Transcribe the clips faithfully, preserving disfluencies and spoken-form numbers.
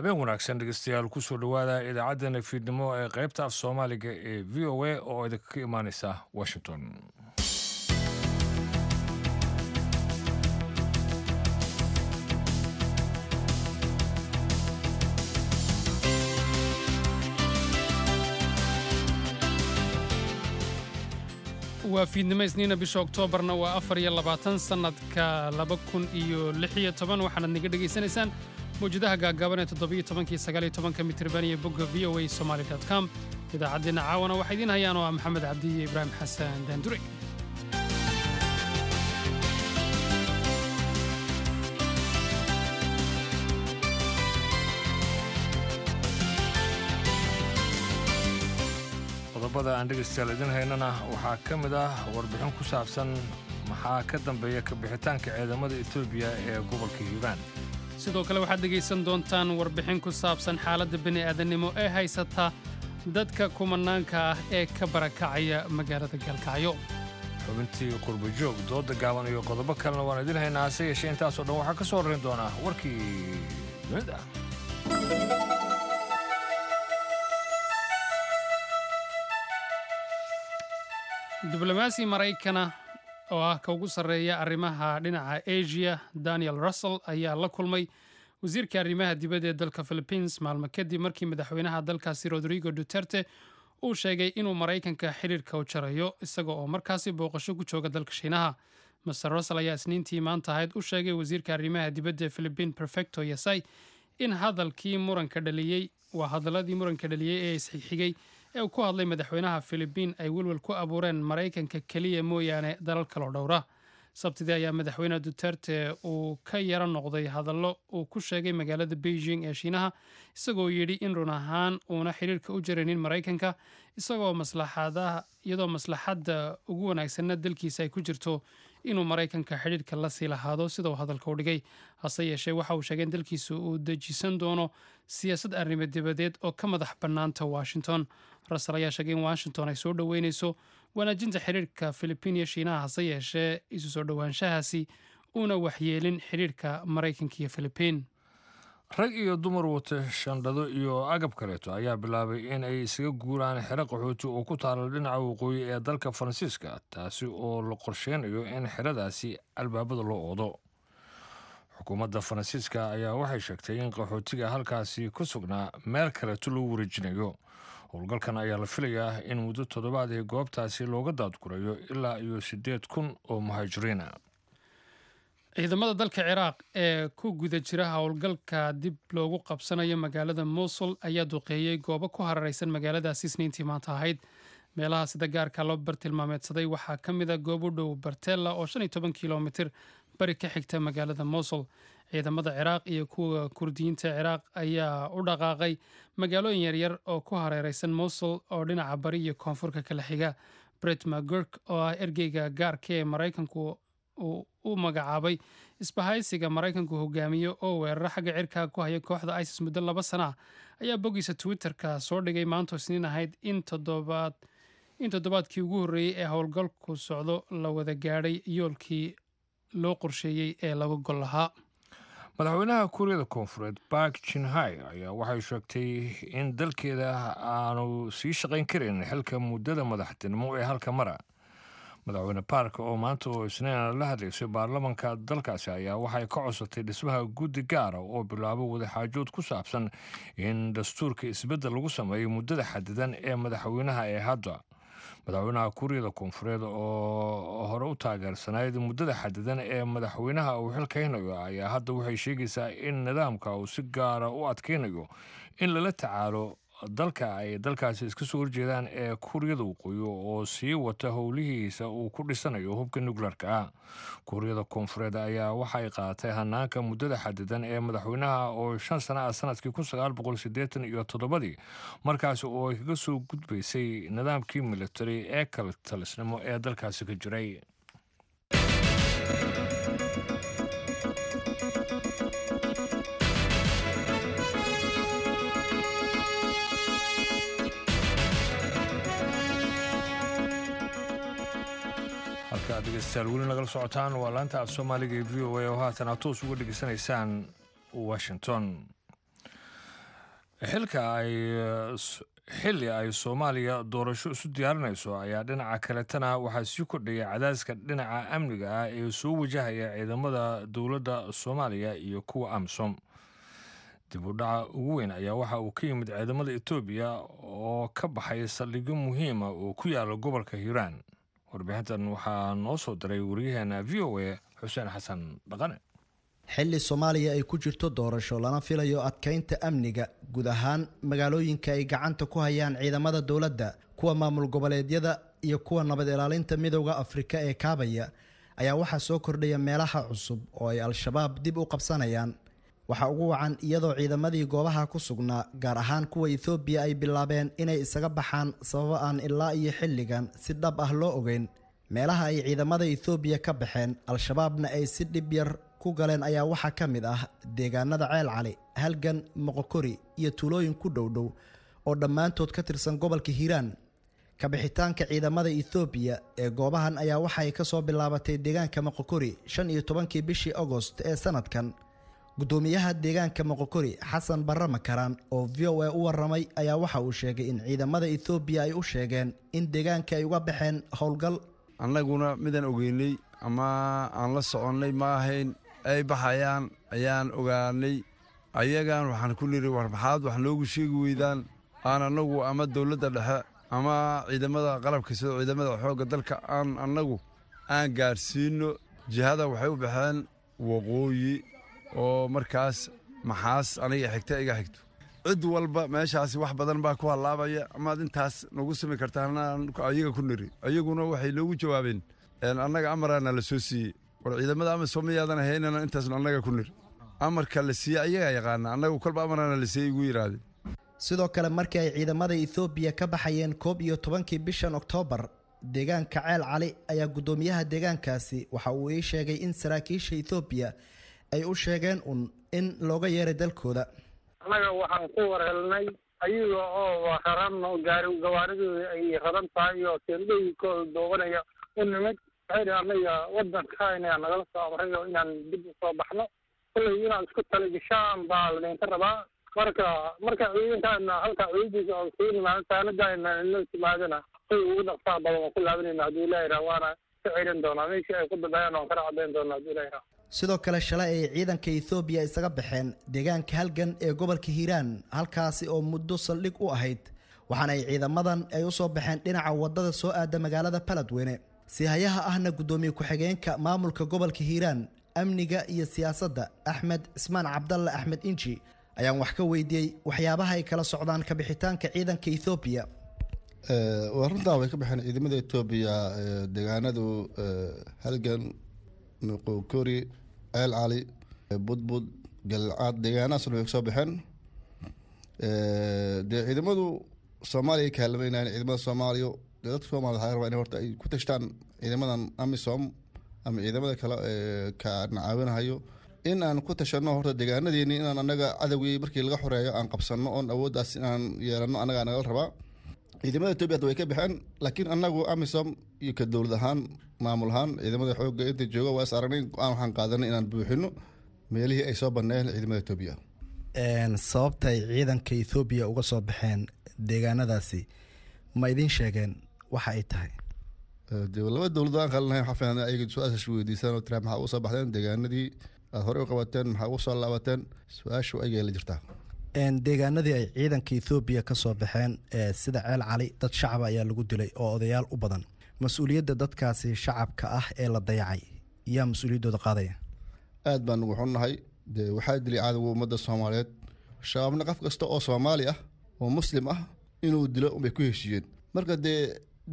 Habeen wanaagsan, dhegeystayaal. Kusoo dhowaada idaacaddeenna fiidnimo ee qaybta af Soomaaliga ee V O A oo idinka imaaneysa Washington. Waa fiidnimo Isniina, bisha Oktoobarna waa afar iyo labaatan, sannadka laba kun iyo lix iyo toban. Waxaanaad naga dhegaysanaysaan mawjadaha gaagaaban ee toddobiyo tobankii, sagaal iyo tobanka mitirban iyo bogga V O A Somali com. Idaacaddeenna caawana waxaa idiin hayaan oo ah Maxamed Cabdi iyo Ibraahim Xasan Daandure. Qodobada aan dhegeystayaal idin haynana waxaa ka mid ah warbixin ku saabsan maxaa ka dambeeya kabixitaanka ciidamada Etoobiya ee gobolka Hiiraan. Sidoo kale waxaad dhegaysan doontaan warbixin ku saabsan xaaladda bini'aadannimo ee haysata dadka kumanaanka ah ee ka barakacaya magaalada Gaalkacyo. Xubintii qurbajoog, dooda gaaban iyo qodobo kalena waan idin haynaa. Hase yeeshee, intaasoo dhan waxaa ka soo horrayn doonaa warkii dunida. Diblomaasi Maraykana oo ah ka ugu sarreeya arrimaha dhinaca Asia, Daniel Russel, ayaa la kulmay wasiirka arrimaha dibadda ee dalka Philippines maalmo kadib markii madaxweynaha dalkaasi Rodrigo Duterte uu sheegay inuu Maraykanka xiriirka u jarayo, isaga oo markaasi booqasho ku jooga dalka Shiinaha. Mister Russel ayaa Isniintii maanta ahayd u sheegay wasiirka arrimaha dibadda ee Philippine, Perfecto Yasay, in hadalkii muranka dhaliyey, waa hadaladii muranka dhaliyey ee isxigxigay ee uu ku hadlay madaxweynaha Philippine, ay welwel ku abuureen Maraykanka keliya mooyaane dalal kaloo dhowra. Sabtidii ayaa madaxweyne Duterte uu ka yaro noqday hadallo uu ku sheegay magaalada Beijing ee Shiinaha, isagoo yidhi in run ahaan uuna xiriirka u jaraynin Maraykanka, isagoo maslaxadaha, iyadoo maslaxadda ugu wanaagsanna dalkiisa ay ku jirto inuu Maraykanka xidhiirka la sii lahaado, sida uu hadalka u dhigay. Hase yeeshee, waxa uu sheegay in dalkiisu uu dejisan doono siyaasad arrimo dibadeed oo ka madax bannaanta Washington. Russel ayaa sheegay in Washington ay soo dhoweyneyso wanaajinta xiriirka Philippine iyo Shiinaha, hase yeeshee isu soo dhowaanshahaasi uuna waxyeelin xiriirka Maraykanka iyo Philippine. Rag iyo dumar wata shandado iyo agab kaleeto ayaa bilaabay in ay isaga guuraan xero qaxooti oo ku taala dhinaca waqooyi ee dalka Faransiiska, taasi oo la qorsheynayo in xeradaasi albaabada loo oodo. Xukuumadda Faransiiska ayaa waxay sheegtay in qaxootiga halkaasi ku sugnaa meel kaleeto loo wareejinayo. Howlgalkan ayaa la filayaa in muddo toddobaad ee goobtaasi looga daadgurayo ilaa iyo siddeed kun oo muhaajiriina. Ciidamada dalka Ciraaq ee ku guda jira howlgalka dib loogu qabsanayo magaalada Mosul ayaa duqeeyey goobo ku harareysan magaaladaasi Isniintii maanta ahayd. Meelaha sida gaarka loo bartilmaameedsaday waxaa ka mid a goob u dhow Bartella oo shan iyo toban kilomitir bari ka xigta magaalada Mosul. Ciidamada Ciraaq iyo kuwa Kurdiyiinta Ciraaq ayaa u dhaqaaqay magaalooyin yaryar oo ku hareereysan Mosul oo dhinaca bari iyo koonfurka kala xiga. Brett McGurk, oo ah ergeyga gaarka ee Maraykanku uu u magacaabay isbahaysiga Maraykanku hogaamiyo oo weeraro xagga cirka ku haya kooxda ISIS muddo laba sana ah, ayaa boggiisa Twitterka soo dhigay maantoo Isniin ahayd in toddobaad in toddobaadkii ugu horreeyey ee howlgalku socdo la wada gaadhay yoolkii loo qorsheeyey ee laga gol lahaa. Madaxweynaha Kuuriyada Koonfureed Park Geun-hye ayaa waxay sheegtay in dalkeeda aanu sii shaqayn karin xilka muddada madaxtinimo ee halka mara. Madaxweyne Park oo maanta oo Isniin la hadlaysay baarlamanka dalkaasi ayaa waxay ka codsatay dhismaha guddi gaara oo bilaabo wadaxaajood ku saabsan in dastuurka isbeddel lagu sameeyo muddada xadidan ee madaxweynaha ee hadda. Madaxweynaha Kuuriyada Koonfureed oo hore u taageersanayd muddada xadidan ee madaxweynaha uu xilkaynayo ayaa hadda waxay sheegaysaa in nidaamka uu si gaara u adkaynayo in lala tacaalo dalka ay dalkaasi iska soo horjeedaan ee Kuuriyada Waqooyi oo sii wata howlihiisa uu ku dhisanayo hubka nukleerka ah. Kuuriyada Koonfureed ayaa waxay qaadatay hanaanka muddada xadidan ee madaxweynaha oo shan sana ah sanadkii kun sagaal boqol siddeetan iyo toddobadii, markaasi oo ay kaga soo gudbaysay nidaamkii military ee kala talisnimo ee dalkaasi ka jiray. Halka aad, dhegeystayaal, weli nagala socotaan waa laanta af Soomaaliga ee V O A oo haatan aad toos uga dhegeysanaysaan Washington. Xilka ay xilli ay Soomaaliya doorasho isu diyaarinayso ayaa dhinaca kaletana waxaa sii kordhaya cadaaska dhinaca amniga ah ee soo wajahaya ciidamada dowladda Soomaaliya iyo kuwa AMISOM. Dib u dhaca ugu weyn ayaa waxa uu ka yimid ciidamada Etoobiya oo ka baxay saldhigyo muhiima oo ku yaala gobolka Hiiraan. Warbixintan waxaa noo soo diray wariyaheena V O A Xuseen Xasan Dhaqane. Xilli Soomaaliya ay ku jirto doorasho lana filayo adkeynta amniga guud ahaan magaalooyinka ay gacanta ku hayaan ciidamada dowladda, kuwa maamul goboleedyada iyo kuwa nabad ilaalinta midowda Afrika ee kaabaya, ayaa waxaa soo kordhaya meelaha cusub oo ay Al-Shabaab dib u qabsanayaan. Waxaa ugu wacan iyadoo ciidamadii goobaha ku sugnaa, gaar ahaan kuwa Etoobiya, ay bilaabeen inay isaga baxaan sababo aan ilaa iyo xilligan si dhab ah loo ogeyn. Meelaha ay ciidamada Etoobiya ka baxeen, Al-Shabaabna ay si dhib yar ku galeen, ayaa waxaa ka mid ah deegaanada Ceel Cali, Halgan, Moqokori iyo tuulooyin ku dhowdhow oo dhammaantood ka tirsan gobolka Hiiraan. Kabixitaanka ciidamada Etoobiya ee goobahan ayaa waxay ka soo bilaabatay deegaanka Moqokori shan iyo tobankii bishii Agost ee sanadkan. Gudoomiyaha deegaanka Moqokori, Xasan Barre Makaraan, oo V O A u waramay, ayaa waxa uu sheegay in ciidamada Etoobiya ay u sheegeen in deegaanka ay uga baxeen howlgal. Annaguna midaan ogeynay ama aan la soconnay ma ahayn, ay baxayaan ayaan ogaanay. Ayagaan waxaan ku niri, war maxaad wax noogu sheegi weydaan aan annagu ama dowladda dhexe ama ciidamada qalabka sida ciidamada xoogga dalka aan annagu aan gaarsiino. Jihada waxay u baxeen waqooyi oo markaas maxaas aniga xigta iga xigto. Cid walba meeshaasi wax badan baa ku hallaabaya, amaad intaas nagu simi kartaan ayaga ku niri. Ayaguna waxay noogu jawaabeen annaga amaraana la soo siiyey, war ciidamada AMISOM miyaadan ahaynana intaasnu annaga ku niri. Amarka la siiyey ayagaa yaqaana, annagu kolba amaraana la siiyey igu yidhaahdeen. Sidoo kale markii ay ciidamada Etoobiya ka baxayeen koob iyo tobankii bishan Oktoobar deegaanka Ceel Cali, ayaa gudoomiyaha deegaankaasi waxa uu ii sheegay in saraakiisha Etoobiya ay u sheegeen un in looga yeeray dalkooda. Annaga waxaan ku warhelnay ayaga oo raran gaari gawaaridooda ay raran tahay oo teendhooyinkooda doobanaya u nimid. Waxay dhahay annaga waddanka inaa nagala soo amray oo inaan dib u soo baxno, kolley inaad isku talagashaan baa ladinka rabaa. Marka marka ciidankaana halka ciidankiisa oo sii nimaado saanadaana inoo timaadana say ugu dhaqsaha badan waan ku laabanayna hadduu Ilaahay raa, waana ka celin doonaa meeshii ay ku dambeeyaan, waan kala caddayn doonaa hadduu Ilaahay raa. Sidoo kale shalay ay ciidanka Etoobiya isaga baxeen deegaanka Halgan ee gobolka Hiiraan, halkaasi oo muddo saldhig u ahayd, waxaana ay ciidamadan ay u soo baxeen dhinaca wadada soo aada magaalada Beledweyne. Sihayaha ahna gudoomiye ku-xigeenka maamulka gobolka Hiiraan amniga iyo siyaasadda, Axmed Cismaan Cabdalle Axmed Inji, ayaan wax ka weydiiyey waxyaabaha ay kala socdaan kabixitaanka ciidanka Etoobiya. Waa runtaa, way ka baxeen ciidamada Etoobiya deegaanadu Halgan, Moqokori, Ceel Cali, Budbud, Galcaad, deegaanahaasna way kasoo baxeen. Dee ciidamadu Soomaaliya ay kaalmeynayaan ciidamada Soomaaliya. Dee dadka Soomaaliya waxaa rabaa in horta ay ku tashtaan ciidamadan AMISOM ama ciidamada kale ee ka caawinahayo, in aan ku tashano horta deegaanadeeni, inaan annaga cadowgii markii laga xoreeyo aan qabsano oon awooddaas inaan yeelano annagaa nagala rabaa. Ciidamada Etoobiya hadda way ka baxeen, laakiin annagu AMISOM iyo ka dowlad ahaan, maamul ahaan, ciidamada xoogga inta jooga waa is aragnay, go-aan waxaan qaadanay inaan buuxino meelihii ay soo baneeyeen ciidamada Etoobiya. Sababta ay ciidanka Etoobiya uga soo baxeen deegaanadaasi ma idiin sheegeen waxa ay tahay? Dee laba dowlad aan qalinahay, waxaa fiican ayaga su-aashaas weydiisaan oo tiraa maxaa uga soo baxdeen deegaanadii aad horey u qabateen, maxaa uga soo laabateen? Su-aashu ayay la jirtaa. Deegaanadii ay ciidanka Etoobiya ka soo baxeen sida Ceel Cali, dad shacaba ayaa lagu dilay oo odayaal u badan. Mas-uuliyadda dadkaasi shacabka ah ee la dayacay yaa mas-uuliyaddooda qaadaya? Aad baan ugu xunnahay. Dee waxaa dilay cadowga ummadda Soomaaliyeed Shabaabna. Qof kasta oo Soomaali ah oo Muslim ah inuu dilo unbay ku heshiiyeen. Marka dee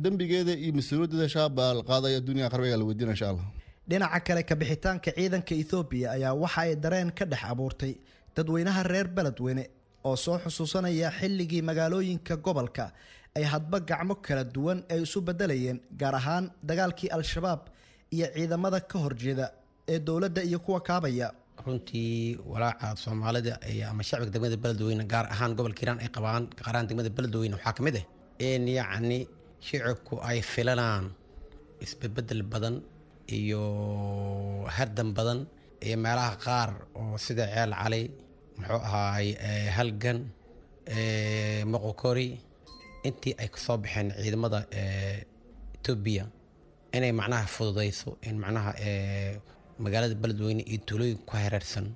dembigeeda iyo mas-uuliyaddeeda Shabaab baa la qaadaya, dunya qarbiga la weydiina insha Allah. Dhinaca kale, kabixitaanka ciidanka Etoobiya ayaa waxa ay dareen ka dhex abuurtay dadweynaha reer Beledweyne oo soo xusuusanaya xilligii magaalooyinka gobolka ay hadba gacmo kala duwan ay isu beddelayeen, gaar ahaan dagaalkii Al-Shabaab iyo ciidamada ka horjeeda ee dowladda iyo kuwa kaabaya. Runtii walaaca Soomaalida ama shacbiga degmada Beledweyne, gaar ahaan gobolka Hiiraan, ay qabaan, gaar ahaan degmada Beledweyne, waxaa ka mid ah in yacni shicibku ay filanaan isbedbedel badan iyo hardan badan iyo meelaha qaar oo sida Ceel Cali, muxuu ahaay, Halgan, Moqokori, intii ay kasoo baxeen ciidamada Etoobiya, inay macnaha fududayso in macnaha magaalada Beledweyne iyo tuulooyinka ku hareersan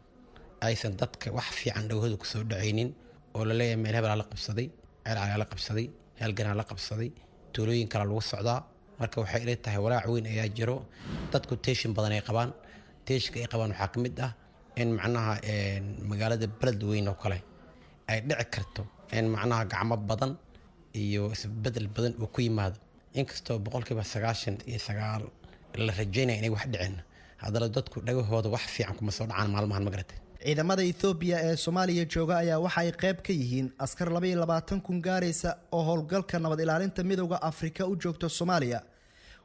aysan dadka wax fiican dhowhadu kusoo dhacaynin, oo laleeyahay meel hebelaa la qabsaday, ceelcalaa la qabsaday, heelganaa la qabsaday, tuulooyin kale lagu socdaa. Marka waxay ila tahay walaac weyn ayaa jiro. Dadku teeshin badan ay qabaan. Teeshinka ay qabaan waxaa ka mid ah in macnaha magaalada Beledweyne oo kale ay dhici karto in macnaha gacmo badan iyo isbedel badan uu ku yimaado. Inkastoo boqolkiiba sagaashan iyo sagaal la rajaynaya inay wax dhicin, haddana dadku dhagahooda wax fiican kuma soo dhacaan maalmahan, magarate. Ciidamada Ethoobiya ee Soomaaliya jooga ayaa waxa ay qayb ka yihiin askar laba iyo labaatan kun gaaraysa oo howlgalka nabad ilaalinta Midowda Afrika u joogta Soomaaliya,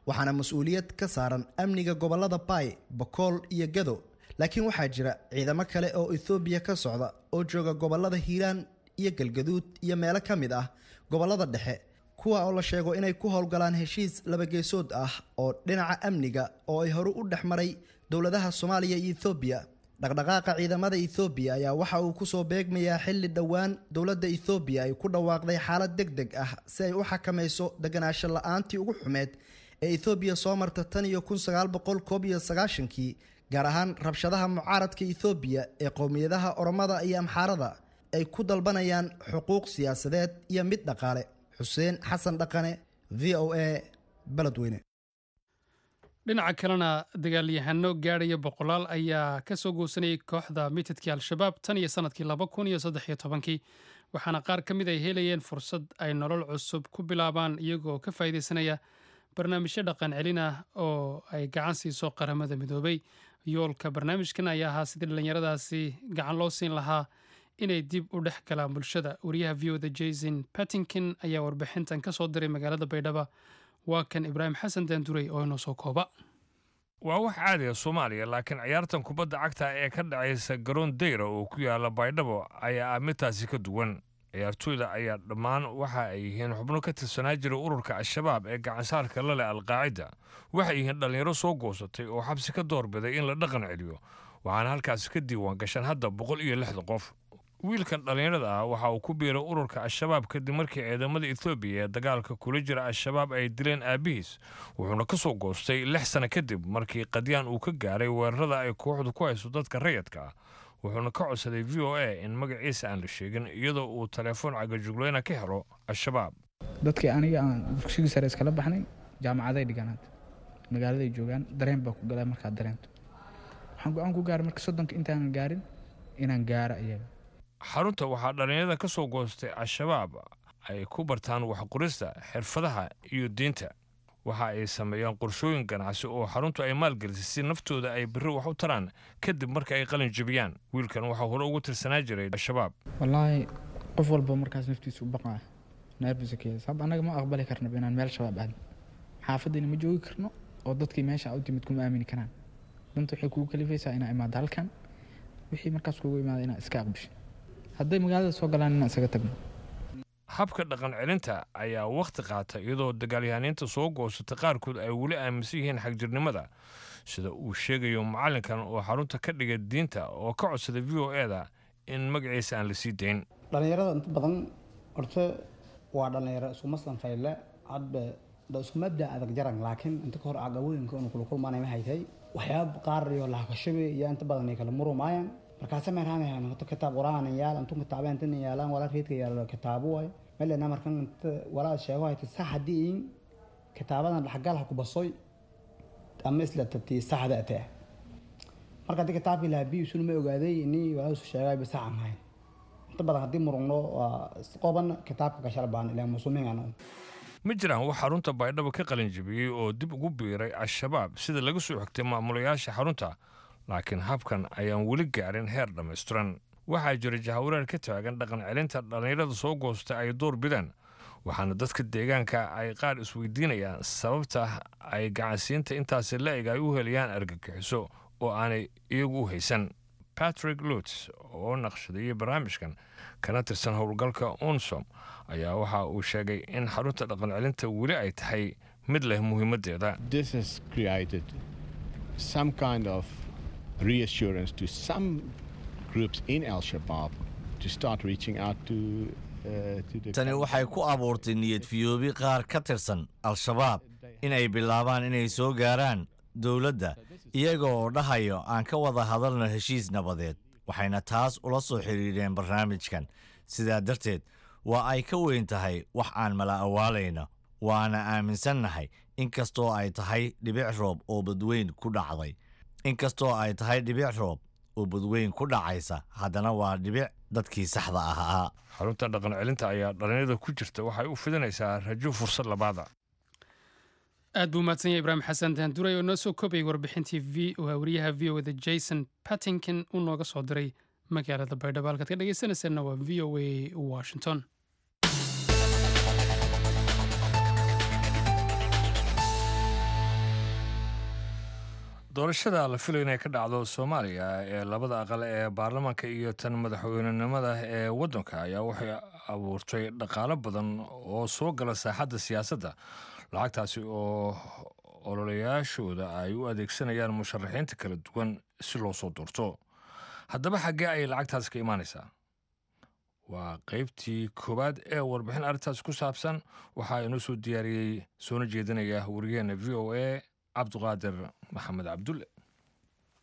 waxaana mas-uuliyad ka saaran amniga gobolada Baay, Bakool iyo Gado. Laakiin waxaa jira ciidamo kale oo Ethoobiya ka socda oo jooga gobolada Hiiraan iyo Galgaduud iyo meelo ka mid ah gobolada dhexe, kuwa oo la sheego inay ku howlgalaan heshiis labageesood ah oo dhinaca amniga oo ay hore u dhex maray dowladaha Soomaaliya iyo Ethoobiya. Dhaqdhaqaaqa ciidamada Ethoobiya ayaa waxa uu kusoo beegmayaa xilli dhowaan dowladda Ethoobiya ay ku dhawaaqday xaalad deg deg ah si ay u xakamayso deganaansho la-aantii ugu xumeed ee Ethoobiya soo marta tan iyo kun sagaal boqol koob iyo sagaashankii, gaar ahaan rabshadaha mucaaradka Ethoobiya ee qowmiyadaha Oromada iyo Amxaarada ay ku dalbanayaan xuquuq siyaasadeed iyo mid dhaqaale. Xuseen Xasan Dhaqane, V O A, Beledweyne. Dhinaca kalena, dagaalyahano gaadhaya boqolaal ayaa ka soo goosanayay kooxda mitidkii Al-Shabaab tan iyo sanadkii laba kun iyo saddex iyo tobankii, waxaana qaar ka mid ay helayeen fursad ay nolol cusub ku bilaabaan, iyagoo ka faa'iidaysanaya barnaamijyo dhaqan celin ah oo ay gacan siiso Qaramada Midoobay. Yoolka barnaamijkan ayaa ahaa sidii dhallinyaradaasi gacan loo siin lahaa inay dib u dhex galaan bulshada. Wariyaha V O da Jason Pattinkin ayaa warbixintan ka soo diray magaalada Baydhaba. Waa kan Ibraahim Xasan Daanduray oo inoo soo kooba. Waa wax caadiga Soomaaliya, laakiin ciyaartan kubadda cagta ee ka dhacaysa garoon dayra oo ku yaala Baydhabo ayaa ah midtaasi ka duwan. Ciyaartooyda ayaa dhammaan waxa ay yihiin xubno ka tirsanaa jira ururka Al-Shabaab ee gacansaarka la leh Alqaacida. Waxay yihiin dhallinyaro soo goosatay oo xabsi ka doorbiday in la dhaqan celiyo, waxaana halkaasi ka diiwaan gashan hadda boqol iyo lixda qof. Wiilkan dhallinyarada ah waxa uu ku biiray ururka Al-Shabaab kadib markii ciidamada Ethoobiya ee dagaalka kula jira Al-Shabaab ay dileen aabihiis, wuxuuna ka soo goostay lix sano kadib markii qadyaan uu ka gaaray weerarada ay kooxdu ku hayso dadka rayadka ah. Wuxuuna ka codsaday V O A in magaciisa aan la sheegin, iyadoo uu telefoon cagajugleyna ka helo Al-Shabaab. Dadkii aniga aan dugsigii sare iskala baxnay jaamacaday dhigaan, hadda magaaladay joogaan. Dareen baa ku galaa. Markaad dareento, waxaan go-aan ku gaaray marka soddonka intaanan gaarin inaan gaaro iyaga. Xarunta waxaa dhallinyarada ka soo goostay Al-Shabaab ay ku bartaan waxqorista, xirfadaha iyo diinta. Waxa ay sameeyaan qorshooyin ganacsi oo xaruntu ay maalgelisay si naftooda ay berri wax u taraan kadib marka ay qalin jebiyaan. Wiilkan waxaa hore ugu tirsanaa jiray Al-Shabaab. Wallaahi, qof walba markaas naftiisa u baqaa, nervous sabab. Annaga ma aqbali karnaba inaan meel Shabaab aadno. Xaafaddiina ma joogi karno oo dadkii meesha u timid kuma aamini karaan. Danta waxay kugu kalifaysaa inaa imaado halkan. Wixii markaas kugu imaada inaa iska aqbisho. Hadday magaalada soo galaan, inaan isaga tagno. Habka dhaqan celinta ayaa wakhti qaata, iyadoo dagaalyahaniinta soo goosata qaarkood ay weli aaminsan yihiin xagjirnimada, sida uu sheegayo macallinkan oo xarunta ka dhigay diinta oo ka codsaday V O A da in magaciisa aan la sii dayn. Dhalinyarada inta badan horta waa dhalinyaro isku maslan fayle hadba da isku mabda adag jaran, laakiin inta ka hor caqabooyinka unu kula kulmaanay ma haytay waxyaaba qaar iyo lahakashabe iyo inta badan ay kala murumaayaan. Markaasa meerhaanayan horta kitaab quraan yaal intu kitaabeen tan yaalaan walaa reedka yaalo kitaabo waay melena. Markan inta walaa sheego hayta sax haddii in kitaabadan dhaxgal ha ku basoy ama isla tabtii saxda atee. Marka haddii kitaabkii lahaa biyu ma ogaaday ini walaa isu sheegay ba sax aan hayn. Inta badan haddii murugno waa isqoban kitaabka ka shalbaan ilaa muslimiin. Ma jiraan wax xarunta Baydhabo ka qalin jebiyey oo dib ugu biiray Al-Shabaab, sida laga soo xigtay maamulayaasha xarunta, laakiin habkan ayaan weli gaarin heer dhammaystiran. Waxaa jira jahawareer ka taagan dhaqan celinta dhallinyarada soo goostay ay door bidaan, waxaana dadka deegaanka ay qaar isweydiinayaan sababta ay gacansiinta intaasi la-eg ay u helayaan argagixiso oo aanay iyagu u haysan. Patrick Lutz oo naqshadeeyey barnaamijkan kana tirsan howlgalka UNSOM ayaa waxa uu sheegay in xarunta dhaqan celinta weli ay tahay mid leh muhiimaddeeda. This has created some kind of reassurance to some groups in Al Shabaab to start reaching out to Tani waxay ku abuurtay niyad fiyoobi qaar ka tirsan Al-Shabaab inay bilaabaan inay soo gaaraan dowladda iyaga oo dhahayo aan ka wada hadalno heshiis nabadeed, waxayna taas ula soo xiriireen barnaamijkan. Sidaa darteed waa ay ka weyn tahay wax aan mala awaalayno, waana aaminsannahay inkastoo ay tahay dhibic roob oo badweyn ku dhacday, inkastoo ay tahay dhibic roob oo badweyn ku dhacaysa, haddana waa dhibic dadkii saxda ahaa. Xarunta dhaqan celinta ayaa dhalinyarada ku jirta waxay u fidinaysaa rajo fursad labaada. Aad buu mahadsan yahay Ibraahim Xasan Daanduray oo noo soo koobayay warbixintii v wariyaha V O da Jason Pattington uu nooga soo diray magaalada Baydhabo. Halkaad ka dhegeysanayseena waa V O A Washington. Doorashada la filayo inay ka dhacdo Soomaaliya ee labada aqal ee baarlamaanka iyo tan madaxweynenimada ee waddanka ayaa waxay abuurtay dhaqaalo badan oo soo gala saaxadda siyaasadda, lacagtaasi oo ololayaashooda ay u adeegsanayaan musharaxiinta kala duwan si loo soo doorto. Haddaba xaggee ayay lacagtaasi ka imaanaysaa? Waa qaybtii koowaad ee warbixin arrintaasi ku saabsan. Waxaa inoo soo diyaariyey soona jeedinaya wariyaheena V O A Cabduqaadir Maxamed Cabdulle.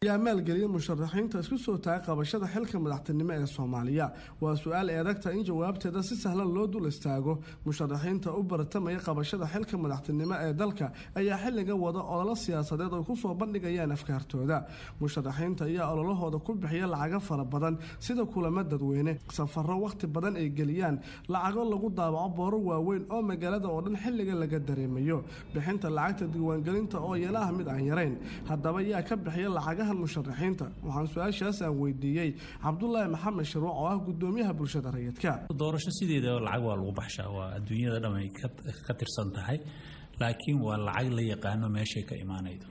Yaa maalgeliya musharaxiinta isku soo taga qabashada xilka madaxtinimo ee Soomaaliya? Waa su-aal eedagta in jawaabteeda si sahlan loo dul istaago. Musharaxiinta u bartamaya qabashada xilka madaxtinimo ee dalka ayaa xilligan wada ololo siyaasadeed oo ku soo bandhigayaan afkaartooda. Musharaxiinta ayaa ololahooda ku bixiya lacago fara badan, sida kulamo dadweyne, safarro wakhti badan ay geliyaan, lacago lagu daabaco booro waaweyn oo magaalada oo dhan xilligan laga dareemayo, bixinta lacagta diiwaangelinta oo iyana ah mid aan yarayn. Haddaba yaa ka bixiya lacagaha musharaxiinta? Waxaan su-aashaas aan weydiiyey Cabdulaahi Maxamed Shirwac oo ah gudoomiyaha bulshada rayidka. Doorasho sideeda lacag waa lagu baxshaa, waa adduunyada dhan ay ka tirsan tahay, laakiin waa lacag la yaqaano meeshay ka imaanaydo.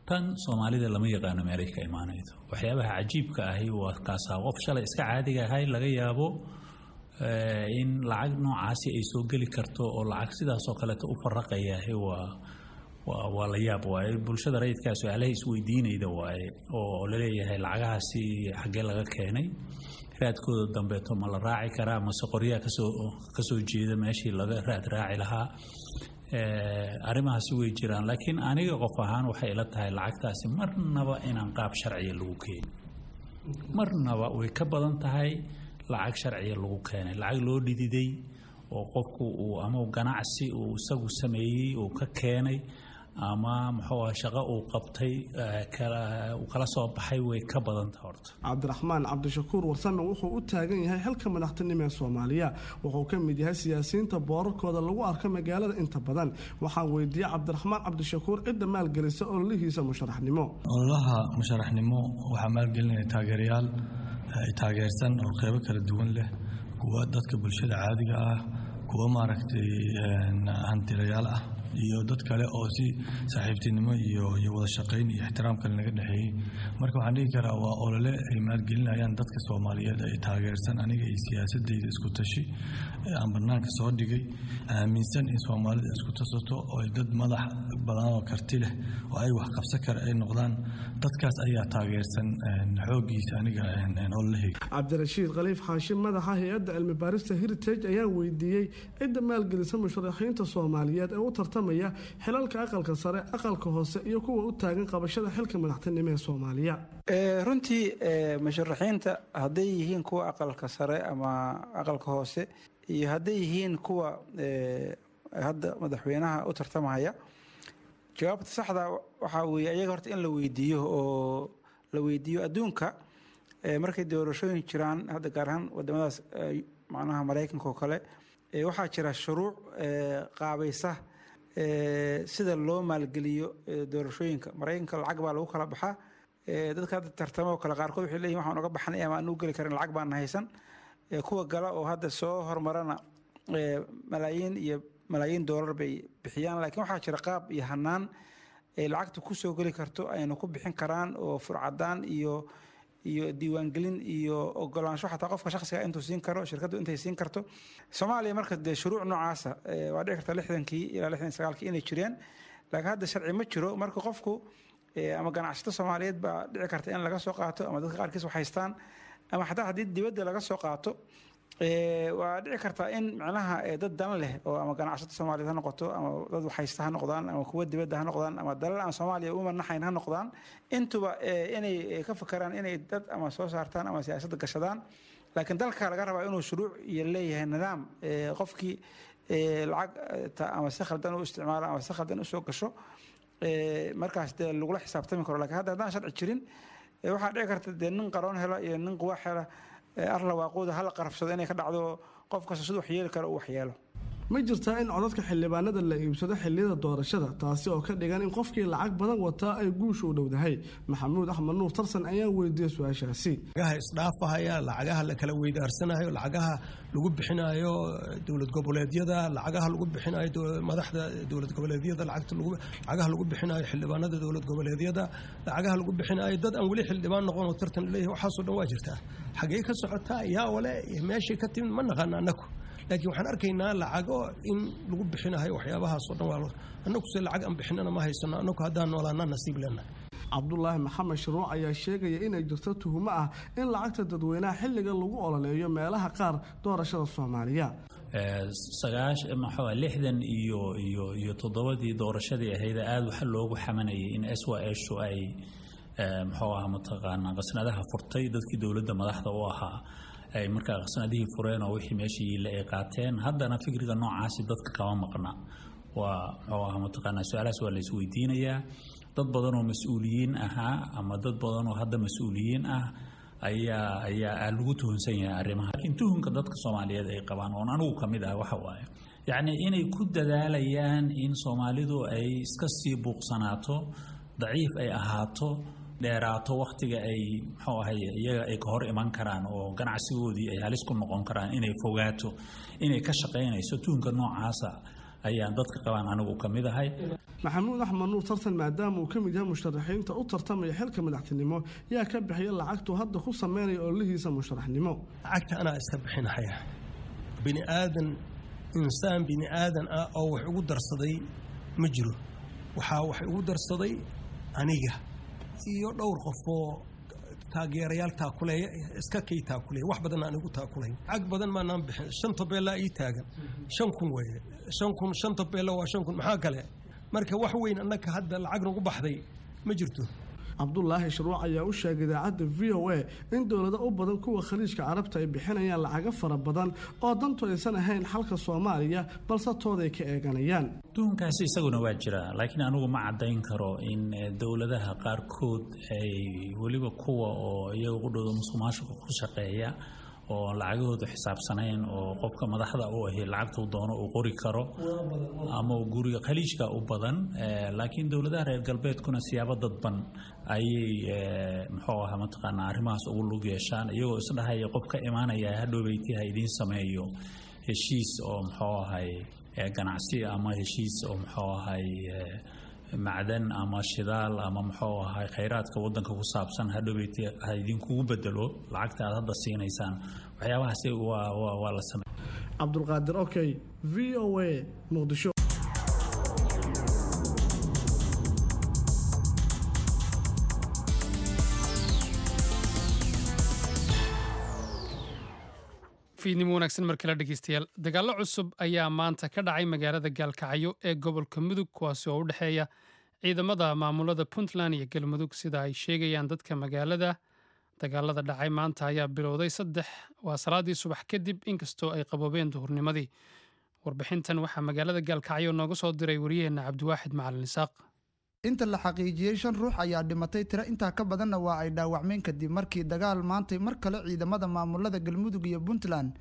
Tan Soomaalida lama yaqaano meelay ka imaanaydo. Waxyaabaha cajiibka ahi waa kaasaa qof shalay iska caadiga ahay laga yaabo in lacag noocaasi ay soo geli karto oo lacag sidaasoo kaleeto u faraqayahay waa waa waa la yaab waaye. Bulshada rayidkaa su-aalaha isweydiinayda waaye oo laleeyahay lacagahaasi xaggee laga keenay, raadkooda dambeeto ma la raaci karaa mase qoryaha kasoo kasoo jeeda meeshii laga raad raaci lahaa. Arrimahaasi way jiraan, laakiin aniga qof ahaan waxay ila tahay lacagtaasi marnaba inaan qaab sharciya lagu keenin, marnaba way ka badan tahay lacag sharciya lagu keenay, lacag loo dhididay oo qofku uu ama ganacsi uu isagu sameeyey uu ka keenay ama muxuu ah shaqo uu qabtay uu kala soo baxay way ka badan tahay horta. Cabdiraxmaan Cabdishakuur Warsame wuxuu u taagan yahay xilka madaxtinimo ee Soomaaliya. Wuxuu ka mid yahay siyaasiyiinta boorarkooda lagu arko magaalada inta badan. Waxaan weydiiyey Cabdiraxmaan Cabdishakuur cidda maalgelisa ololihiisa musharaxnimo. Ololaha musharaxnimo waxaa maalgelinaya taageerayaal taageersan oo qeybo kala duwan leh, kuwa dadka bulshada caadiga ah, kuwa maaragtay hantilayaal ah, iyo dad kale oo si saaxiibtinimo iyo iyo wada shaqayn iyo ixtiraam kale naga dhexeeyey. Marka waxaan dhihi karaa waa olole ay maalgelinayaan dadka Soomaaliyeed ay taageersan aniga iyo siyaasadeyda isku tashi aan banaanka soo dhigay, aaminsan in Soomaalida isku tasato oo ay dad madax badan oo karti leh oo ay wax qabsan kara ay noqdaan. Dadkaas ayaa taageersan xooggiisa aniga ololahayga. Cabdirashiid Khaliif Xaashim, madaxa hay-adda cilmi baarista Heritage, ayaa weydiiyey cidda maalgelisa musharaxiinta Soomaaliyeed ee u tartamaya xilalka aqalka sare, aqalka hoose iyo kuwa u taagan qabashada xilka madaxtinimo ee Soomaaliya. Runtii musharaxiinta hadday yihiin kuwa aqalka sare ama aqalka hoose iyo hadday yihiin kuwa hadda madaxweynaha u tartamaya, jawaabta saxda waxaa weeye ayaga horta in la weydiiyo oo la weydiiyo adduunka markay doorashooyin jiraan, hadda gaar ahaan wadamadaas macnaha Maraykanka oo kale, waxaa jira shuruuc qaabaysa sida loo maalgeliyo doorashooyinka. Maraykanka lacag baa lagu kala baxaa. Dadka hadda tartamo oo kale qaarkood waxay leeyihin waxaan uga baxnay ama aan u geli karin lacag baan haysan. Kuwa gala oo hadda soo hormarana malaayiin iyo malaayiin doolar bay bixiyaan, laakiin waxaa jira qaab iyo hanaan ay lacagta ku soo geli karto ayna ku bixin karaan oo furcadaan iyo iyo diiwaangelin iyo ogolaansho xataa qofka shakhsiga intuu siin karo, shirkaddu intay siin karto. Soomaaliya marka dee shuruuc noocaasa waa dhici karta lixdankii ilaa lixdan sagaalkii inay jireen, laakiin hadda sharci ma jiro. Marka qofku ama ganacsato Soomaaliyeed baa dhici karta in laga soo qaato ama dadka qaarkiis wax haystaan, ama xataa haddii dibadda laga soo qaato Waa dhici kartaa in macnaha dad dan leh oo ama ganacsato Soomaaliyeed ha noqoto, ama dad waxhaysta ha noqdaan, ama kuwa dibadda ha noqdaan, ama dalal aan Soomaaliya u manaxayn ha noqdaan, intuba inay ka fakaraan inay dad ama soo saartaan ama siyaasadda gashadaan. Laakiin dalka laga rabaa inuu shuruuc iyo leeyahay nidaam qofkii lacag ama si khaldan u isticmaalo ama si khaldan usoo gasho markaas dee lagula xisaabtami karo. Lakiin hadda haddaan sharci jirin, waxaa dhici karta dee nin qaroon hela iyo nin quwaax hela arla waaqooda hala qarafsado inay ka dhacdo, qof kasta siduu waxyeeli karo uu waxyeelo. Ma jirtaa in codadka xildhibaanada la iibsado xilliyada doorashada, taasi oo ka dhigan in qofkii lacag badan wataa ay guusha u dhowdahay? Maxamuud Axmed Nuur Tarsan ayaa weydiiyey su-aashaasi. Lacagaha isdhaafahaya, lacagaha la kala weydaarsanayo, lacagaha lagu bixinayo dowlad goboleedyada, lacagaha lagu bixinayo madaxda dowlad goboleedyada, lacagaha lagu bixinayo xildhibaanada dowlad goboleedyada, lacagaha lagu bixinayo dad aan weli xildhibaan noqon oo tartan leeyahay, waxaasoo dhan waa jirtaa. Xagee ka socotaa? Yaa wale meeshay ka timid ma naqaana annaku, laakiin waxaan arkaynaa lacago in lagu bixinayo waxyaabahaasoo dhan. Waa annagu se lacag aan bixinana ma haysano, annagu haddaan noolaanaa nasiib leenahay. Cabdulaahi Maxamed Shuruuc ayaa sheegaya inay jirto tuhumo ah in lacagta dadweynaha xilliga lagu ololeeyo meelaha qaar doorashada Soomaaliya. Maxaa lixdan iyo iyo iyo toddobadii doorashadii ahayd aada waxa loogu xamanayay in S Y S ay muxuu ahaa mataqaanaa qasnadaha furtay, dadkii dowladda madaxda u ahaa ay markaa qasnadihii fureen oo wixii meeshii yiila ay qaateen. Haddana fikriga noocaasi dadka kama maqna. Waa muxuu ahaa mataqaanaa su-aalahaas waa la isweydiinayaa. Dad badan oo mas-uuliyiin ahaa ama dad badan oo hadda mas-uuliyiin ah ayaa ayaa lagu tuhunsan yahay arrimaha. Laakiin tuhunka dadka Soomaaliyeed ay qabaan oon anigu ka mid ah waxa waaye yacni inay ku dadaalayaan in Soomaalidu ay iska sii buuqsanaato, daciif ay ahaato, dheeraato wakhtiga ay muxuu ahay iyaga ay ka hor iman karaan oo ganacsigoodii ay halis ku noqon karaan, inay fogaato, inay ka shaqaynayso. Tuhunka noocaasa ayaan dadka qabaan anigu ka mid ahay. Maxamuud Axmed Nuur Tartan, maadaama uu ka mid yahay musharaxiinta u tartamaya xilka madaxtinimo, yaa ka bixiya lacagtuu hadda ku sameynaya ololihiisa musharaxnimo? Lacagta anaa iska bixinahaya. Bini aadan, insaan bini aadan ah oo wax ugu darsaday ma jiro. Waxaa wax ugu darsaday aniga iyo dhowr qof oo taageerayaal taakuleeya, iska kay taakuleeya, wax badan aan igu taakulayn. Lacag badan maanaan bixin. Shan tobeellaa ii taagan, shan kun weeye, shan kun, shan tobeella waa shan kun, maxaa kale? Marka wax weyn annaka hadda lacag nagu baxday ma jirto. Cabdulaahi Shuruuc ayaa u sheegay idaacadda V O A in dowlado u badan kuwa Khaliijka Carabta ay bixinayaan lacago fara badan oo dantu aysan ahayn xalka Soomaaliya, balse tooday ka eeganayaan. Tuhunkaasi isaguna waa jiraa, laakiin anigu ma caddayn karo in dowladaha qaarkood ay weliba kuwa oo iyaga qudhooda musuqmaasuqa ku shaqeeya oo lacagahoodu xisaabsanayn oo qofka madaxda u ahi lacagtuu doono uu qori karo ama uu guriga Khaliijka u badan. Laakiin dowladaha reer galbeedkuna siyaabo dadban ayay muxuu ahaa mataqaanaa arrimahaas ugu lug yeeshaan, iyagoo isdhahaya qof ka imaanaya hadhowbeyti ha idiin sameeyo heshiis oo muxuu ahay ganacsi ama heshiis oo muxuu ahay macdan ama shidaal ama muxuu ahay khayraadka wadanka ku saabsan, hadhowbeyti ha idinkugu bedelo lacagta aad hadda siinaysaan. Waxyaabahaasi waa waa waa la sameey. Cabdulqaadir Okey, V O A, Muqdisho. Fiidnimo wanaagsan mar kale dhegeystayaal. Dagaallo cusub ayaa maanta ka dhacay magaalada Gaalkacyo ee gobolka Mudug, kuwaasi oo u dhexeeya ciidamada maamulada Puntland iyo Galmudug, sida ay sheegayaan dadka magaalada. Dagaalada dhacay maanta ayaa bilowday saddex waa salaadii subax kadib, inkastoo ay qaboobeen duhurnimadii. Warbixintan waxaa magaalada Gaalkacyo nooga soo diray wariyaheenna Cabdiwaaxid Macalin Isaaq. Inta la xaqiijiyey shan ruux ayaa dhimatay, tiro intaa ka badanna waa ay dhaawacmeen kadib markii dagaal maantay mar kale ciidamada maamulada Galmudug iyo Puntland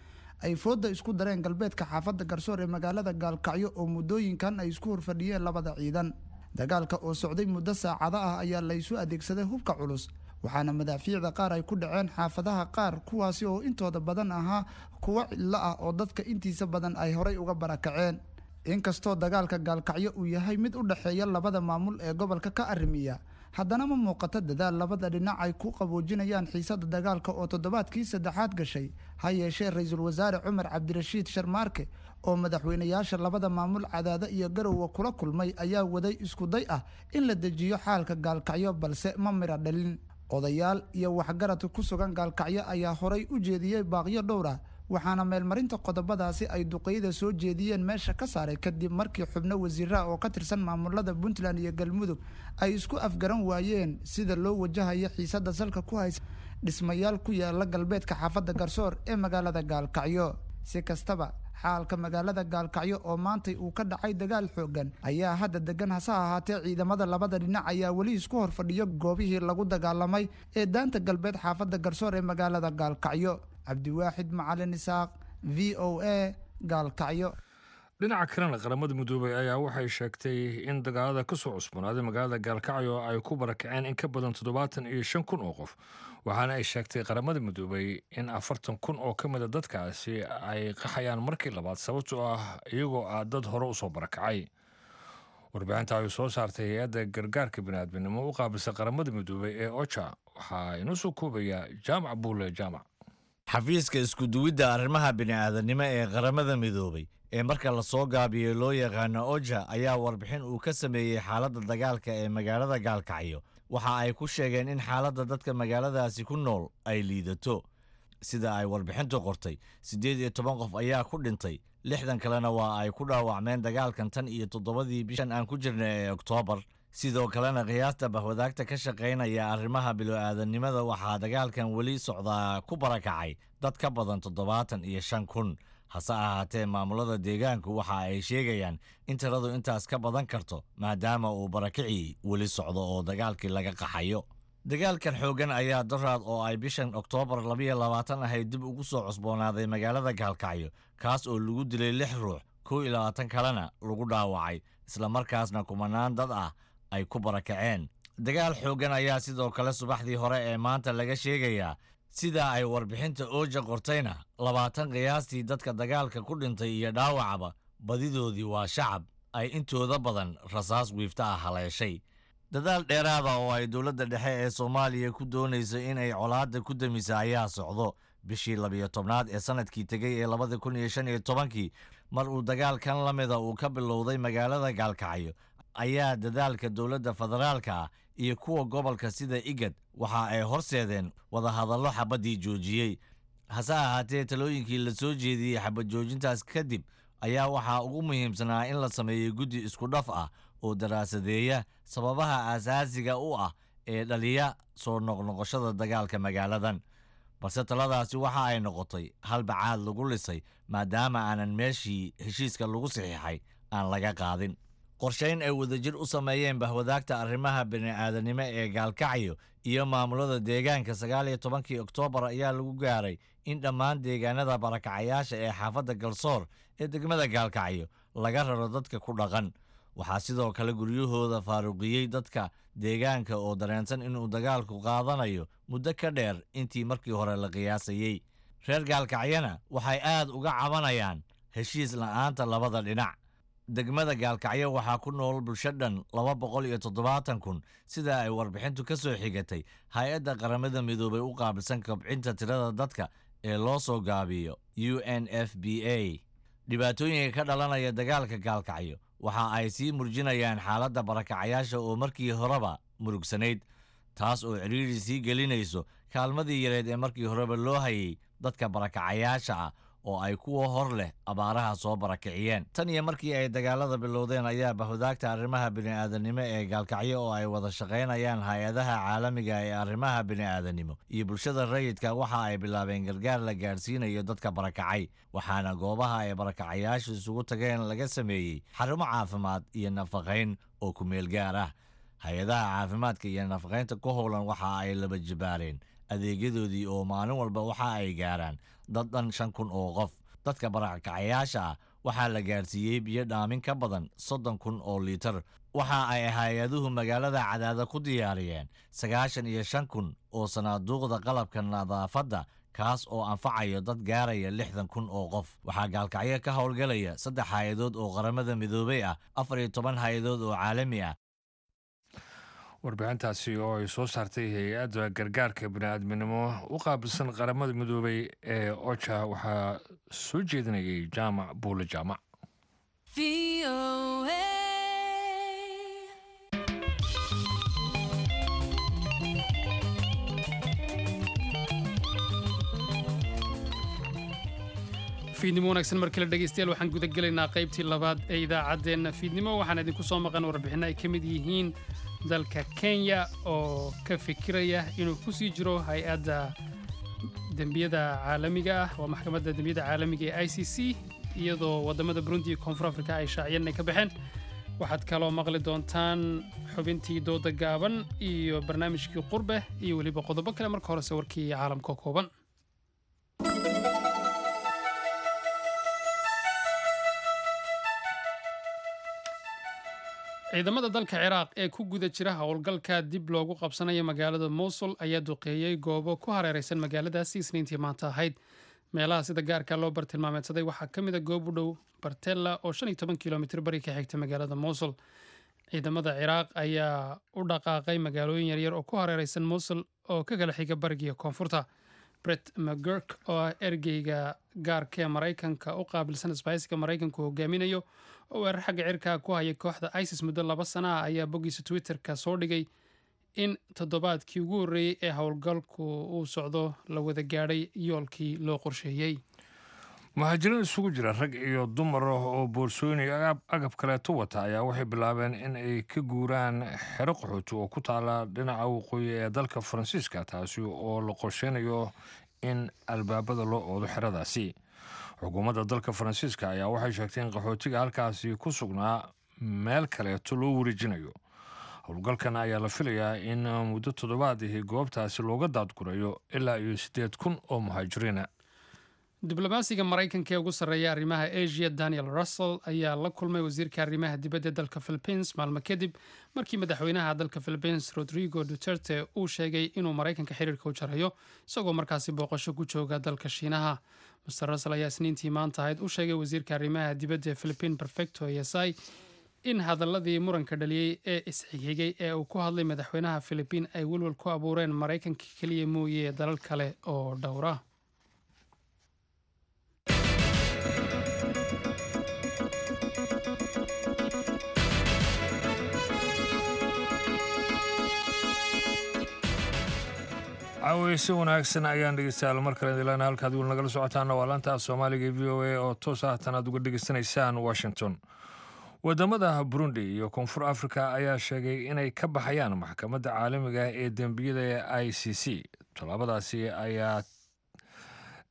ay fooda isku dareen galbeedka xaafadda Garsoor ee magaalada Gaalkacyo oo muddooyinkan ay isku horfadhiyeen labada ciidan. Dagaalka oo socday muddo saacado ah ayaa la isu adeegsaday hubka culus, waxaana madaafiicda qaar ay ku dhaceen xaafadaha qaar, kuwaasi oo intooda badan ahaa kuwo cidlo ah oo dadka intiisa badan ay horay uga barakaceen. Inkastoo dagaalka Gaalkacyo uu yahay mid u dhexeeya labada maamul ee gobolka ka arrimiya, haddana ma muuqato dadaal labada dhinac ay ku qaboojinayaan xiisada dagaalka oo toddobaadkii saddexaad gashay. Ha yeeshee ra-iisul wasaare Cumar Cabdirashiid Sharmaarke oo madaxweynayaasha labada maamul Cadaado iyo Garowe kula kulmay ayaa waday isku day ah in la dejiyo xaalka Gaalkacyo, balse ma mira dhalin. Odayaal iyo waxgarad ku sugan Gaalkacyo ayaa horay u jeediyey baaqyo dhowr ah Waxaana meelmarinta qodobadaasi ay duqeyda soo jeediyeen meesha ka saaray kadib markii xubno wasiiraha oo ka tirsan maamulada Puntland iyo Galmudug ay isku afgaran waayeen sida loo wajahayo xiisada salka ku haysa dhismayaal ku yaala galbeedka xaafadda Garsoor ee magaalada Gaalkacyo. Si kastaba, xaalka magaalada Gaalkacyo oo maantay uu ka dhacay dagaal xoogan ayaa hadda degan, hase ahaatee ciidamada labada dhinac ayaa weli isku horfadhiyo goobihii lagu dagaalamay ee daanta galbeed xaafadda Garsoor ee magaalada Gaalkacyo. Cabdiwaaxid Macalin Isaaq, V O A, Gaalkacyo. Dhinaca kalena, Qaramada Midoobay ayaa waxay sheegtay in dagaalada ka soo cusboonaaday magaalada Gaalkacyo ay ku barakaceen in ka badan toddobaatan iyo shan kun oo qof, waxaana ay sheegtay Qaramada Midoobay in afartan kun oo ka mida dadkaasi ay qaxayaan markii labaad, sababtoo ah iyagoo ah dad hore usoo barakacay. Warbixinta ay soo saartay hay-adda gargaarka biniaadminimo u qaabilsa Qaramada Midoobay ee OCHA waxaa inoo soo koobaya Jaamac Buule Jaamac. Xafiiska iskuduwidda arrimaha bini'aadanimo ee Qaramada Midoobay ee marka lasoo gaabiyey loo yaqaano OCHA ayaa warbixin uu ka sameeyey xaaladda dagaalka ee magaalada Gaalkacyo waxa ay ku sheegeen in xaaladda dadka magaaladaasi ku nool ay liidato. Sida ay warbixintu qortay, siddeed iyo toban qof ayaa ku dhintay, lixdan kalena waa ay ku dhaawacmeen dagaalkan tan iyo toddobadii bishan aan ku jirnay ee Oktoobar. Sidoo kalena, qiyaasta bahwadaagta ka shaqaynaya arrimaha bilo-aadanimada, waxaa dagaalkan weli socdaa ku barakacay dad ka badan toddobaatan iyo shan kun. Hase ahaatee, maamulada deegaanku waxa ay sheegayaan in tiradu intaas ka badan karto, maadaama uu barakicii weli socdo oo dagaalkii laga qaxayo. Dagaalkan xooggan ayaa doraad oo ay bishan Oktoobar labiyo labaatan ahayd dib ugu soo cusboonaaday magaalada Gaalkacyo, kaas oo lagu dilay lix ruux, kow iyo labaatan kalena lagu dhaawacay, islamarkaasna kumanaan dad ah ay ku barakaceen. Dagaal xooggan ayaa sidoo kale subaxdii hore ee maanta laga sheegayaa. Sida ay warbixinta OCHA qortayna, labaatan qiyaastii dadka dagaalka ku dhintay iyo dhaawacaba badidoodii waa shacab ay intooda badan rasaas wiifta ah haleeshay. Dadaal dheeraada oo ay dowladda dhexe ee Soomaaliya ku doonayso in ay colaadda ku damisa ayaa socdo. Bishii labiyo tobnaad ee sanadkii tegey ee labada kun iyo shan iyo tobankii, mar uu dagaalkan la mida uu ka bilowday magaalada Gaalkacyo, ayaa dadaalka dowladda federaalka ah iyo kuwa gobolka sida IGAD waxa ay horseedeen wadahadallo xabaddii joojiyey. Hase ahaatee, talooyinkii la soo jeediyey xabad joojintaas kadib ayaa waxaa ugu muhiimsanaa in la sameeyo guddi isku dhaf ah oo daraasadeeya sababaha aasaasiga u ah ee dhaliya soo noqnoqoshada dagaalka magaaladan. Balse taladaasi waxa ay noqotay hal bacaad lagu lisay, maadaama aanan meeshii heshiiska lagu saxiixay aan laga qaadin. Qorshayn ay wadajir u sameeyeen bahwadaagta arrimaha bini'aadanimo ee Gaalkacyo iyo maamulada deegaanka sagaal iyo tobankii Oktoobar ayaa lagu gaaray in dhammaan deegaanada barakacayaasha ee xaafadda Galsoor ee degmada Gaalkacyo laga raro dadka ku dhaqan. Waxaa sidoo kale guryahooda faaruqiyey dadka deegaanka oo dareensan inuu dagaalku qaadanayo muddo ka dheer intii markii hore la qiyaasayey. Reer Gaalkacyana waxay aad uga cabanayaan heshiis la'aanta labada dhinac. Degmada Gaalkacyo waxaa ku nool bulsho dhan laba boqol iyo toddobaatan kun, sida ay warbixintu ka soo xigatay hay-adda Qaramada Midoobay u qaabilsan kobcinta tirada dadka ee loo soo gaabiyo U N F P A. Dhibaatooyinka ka dhalanaya dagaalka Gaalkacyo waxa ay sii murjinayaan xaaladda barakacayaasha oo markii horeba murugsanayd, taas oo cidhiidhi sii gelinayso kaalmadii yareed ee markii horeba loo hayay dadka barakacayaasha ah oo ay kuwa hor leh abaaraha soo barakiciyeen. Tan iyo markii ay dagaalada bilowdeen ayaa bahwadaagta arrimaha bini'aadanimo ee Gaalkacyo oo ay wada shaqaynayaan hay-adaha caalamiga ee arrimaha bini'aadanimo iyo bulshada rayidka waxa ay bilaabeen gargaar la gaadhsiinayo dadka barakacay, waxaana goobaha ay barakacayaashu isugu tageen laga sameeyey xarumo caafimaad iyo nafaqayn oo ku meel gaar ah. Hay-adaha caafimaadka iyo nafaqaynta ku howlan waxa ay laba jibaareen adeegyadoodii oo maalin walba waxa ay gaaraan dad dhan shan kun oo qof. Dadka barakacayaasha ah waxaa la gaarsiiyey biyo dhaamin ka badan soddon kun oo liitar. Waxa ay hay-aduhu magaalada Cadaada ku diyaariyeen sagaashan iyo shan kun oo sanaaduuqda qalabka nadaafadda, kaas oo anfacayo dad gaaraya lixdan kun oo qof. Waxaa Gaalkacyo ka howlgalaya saddex hay-adood oo Qaramada Midoobay ah, afar iyo toban hay-adood oo caalami ah. Warbixintaasi oo ay soo saartay hay-adda gargaarka bini'aadminimo u qaabilsan Qaramada Midoobay ee OCHA waxaa soo jeedinayay Jaamac Buule Jaamac. V O A. Fiidnimo wanaagsan markale dhegeystayaal. Waxaan guda gelaynaa qaybtii labaad ee idaacaddeenna fiidnimo. Waxaan idinku soo maqan warbixinno ay ka mid yihiin dalka Kenya oo ka fikiraya inuu ku sii jiro hay-adda dembiyada caalamiga ah, waa maxkamadda dembiyada caalamiga ee I C C, iyadoo waddamada Burundi iyo Koonfur Afrika ay shaaciyeen inay ka baxeen. Waxaad kaloo maqli doontaan xubintii dooda gaaban iyo barnaamijkii Qurbe iyo weliba qodobo kale. Marka horese warkii caalamka kooban. Ciidamada dalka Ciraaq ee ku guda jira howlgalka dib loogu qabsanayo magaalada Mosul ayaa duqeeyey goobo ku hareereysan magaaladaasi Isniintii maanta ahayd. Meelaha sida gaarka loo bartilmaameedsaday waxaa ka mid a goob u dhow Bartella oo shan iyo toban kilomitir bari ka xigta magaalada Mosul. Ciidamada Ciraaq ayaa u dhaqaaqay magaalooyin yaryar oo ku hareereysan Mosul oo ka kala xiga bariga iyo koonfurta. Brett McGurk oo ah ergeyga gaarka ee Maraykanka u qaabilsan isbahaysiga Maraykanku hogaaminayo oo weerar xagga cirka ku haya kooxda ISIS muddo laba sana ah, ayaa boggiisa Twitterka soo dhigay in toddobaadkii ugu horreeyey ee howlgalku uu socdo la wada gaadhay yoolkii loo qorsheeyey. Muhaajiriin isugu jira rag iyo dumar oo boorsooyin iyo agab kaleeto wata ayaa waxay bilaabeen in ay ka guuraan xero qaxooti oo ku taala dhinaca waqooyi ee dalka Faransiiska, taasi oo la qorsheynayo in albaabada loo oodo xeradaasi. Xukuumadda dalka Faransiiska ayaa waxay sheegtay in qaxootiga halkaasi ku sugnaa meel kaleeto loo wareejinayo. Howlgalkan ayaa la filayaa in muddo toddobaadihii goobtaasi looga daadgurayo ilaa iyo siddeed kun oo muhaajiriina. Diblomaasiga Maraykanka ee ugu sarreeya arrimaha Asia, Daniel Russel, ayaa la kulmay wasiirka arrimaha dibadda dalka Philippines maalmo kadib markii madaxweynaha dalka Philippines, Rodrigo Duterte, uu sheegay inuu Maraykanka xiriirka u jarayo, isagoo markaasi booqasho ku jooga dalka Shiinaha. Mister Russel ayaa Isniintii maanta ahayd u sheegay wasiirka arrimaha dibadda ee Philippine, Perfecto Yasay, in hadaladii muranka dhaliyey ee isxigxigay ee uu ku hadlay madaxweynaha Philippine ay welwel ku abuureen Maraykanka keliya mooye dalal kale oo dhowra. Caaweyse wanaagsan ayaan dhegeystayaal mar kale idilana. Halkaad weli nagala socotaana waa laanta af Soomaaliga e V O A oo toos ah tan aad uga dhegeysanaysaan Washington. Wadamada Burundi iyo Koonfur Africa ayaa sheegay inay ka baxayaan maxkamadda caalamiga ee dembiyada ee I C C. Tallaabadaasi ayaa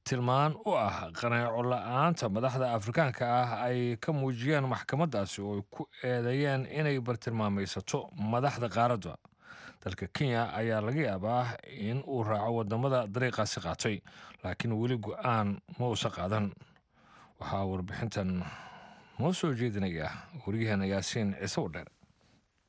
tilmaan u ah qaneeco la-aanta madaxda Afrikaanka ah ay ka muujiyeen maxkamaddaasi oo ay ku eedeeyeen inay bartilmaamaysato madaxda qaaradda. Dalka Kenya ayaa laga yaabaa in uu raaco wadamada dariiqaasi qaatay, laakiin weli go-aan ma uusan qaadan. Waxaa warbixintan noo soo jeedinaya wariyaheena Yaasiin Ciise Wadheer.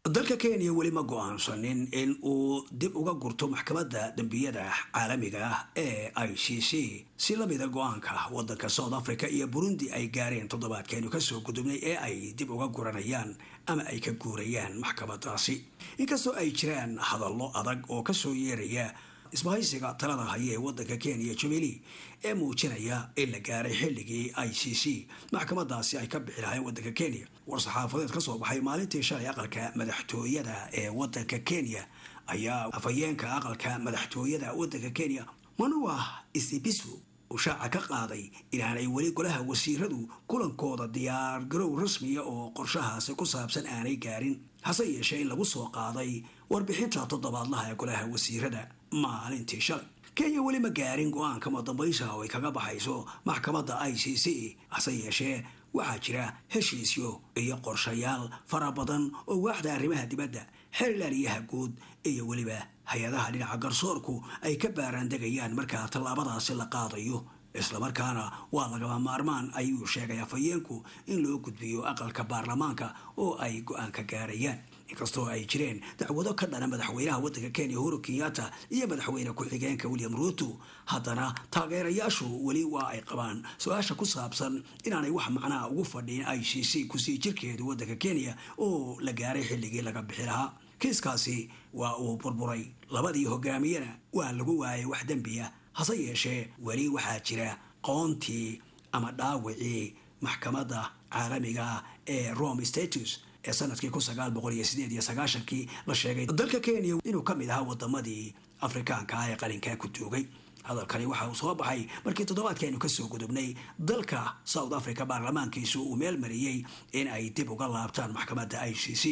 Dalka Kenya weli ma go-aansanin in uu dib uga gurto maxkamadda dembiyada caalamiga ah ee I C C, si lamida go-aanka wadanka South Africa iyo Burundi ay gaareen toddobaadkeenu kasoo gudubnay ee ay dib uga guranayaan ama ay ka guurayaan maxkamadaasi, inkastoo ay jiraan hadallo adag oo kasoo yeeraya isbahaysiga talada haya ee wadanka Kenya, Jubilee, ee muujinaya in la gaaray xilligii I C C maxkamadaasi ay ka bixi lahayn wadanka Kenya. War-saxaafadeed ka soo baxay maalintii shalay aqalka madaxtooyada ee wadanka Kenya ayaa afhayeenka aqalka madaxtooyada wadanka Kenya, Manua Isibisu, uu shaaca ka qaaday inaanay weli golaha wasiiradu kulankooda diyaar garow rasmiya oo qorshahaasi ku saabsan aanay gaarin, hase yeeshee in lagu soo qaaday warbixinta toddobaadlaha ee golaha wasiirada maalintii shalay. Kenya weli ma gaarin go-aanka madambaysa oo ay kaga baxayso maxkamadda I C C, hase yeeshee waxaa jira heshiisyo iyo qorshayaal fara badan oo waaxda arrimaha dibadda, xeerlaaliyaha guud iyo weliba hay-adaha dhinaca garsoorku ay ka baaraandegayaan markaa tallaabadaasi la qaadayo, islamarkaana waa lagama maarmaan, ayuu sheegay afhayeenku, in loo gudbiyo aqalka baarlamaanka oo ay go-aan ka gaarayaan. Inkastoo ay jireen dacwado ka dhana madaxweynaha waddanka Kenya, Uhuru Kenyatta, iyo madaxweyne ku-xigeenka William Ruto, haddana taageerayaashu weli waa ay qabaan su-aasha ku saabsan inaanay wax macnaha ugu fadhiin I C C kusii jirkeedu waddanka Kenya oo la gaaray xilligii laga bixi lahaa. Kiiskaasi waa uu burburay, labadii hogaamiyena waa lagu waayay wax dembiya, hase yeeshee weli waxaa jira qoontii ama dhaawicii maxkamadda caalamiga ee Rome Statute ee sanadkii kun sagaal boqol iyo sideed iyo sagaashankii la sheegay dalka Kenya inuu ka mid ahaa wadamadii Afrikaanka ah ee qalinkaa ku duugay. Hadalkani waxa uu soo baxay markii toddobaadkii aynu kasoo gudubnay dalka South Africa baarlamaankiisu uu meel mariyey in ay dib uga laabtaan maxkamadda I C C,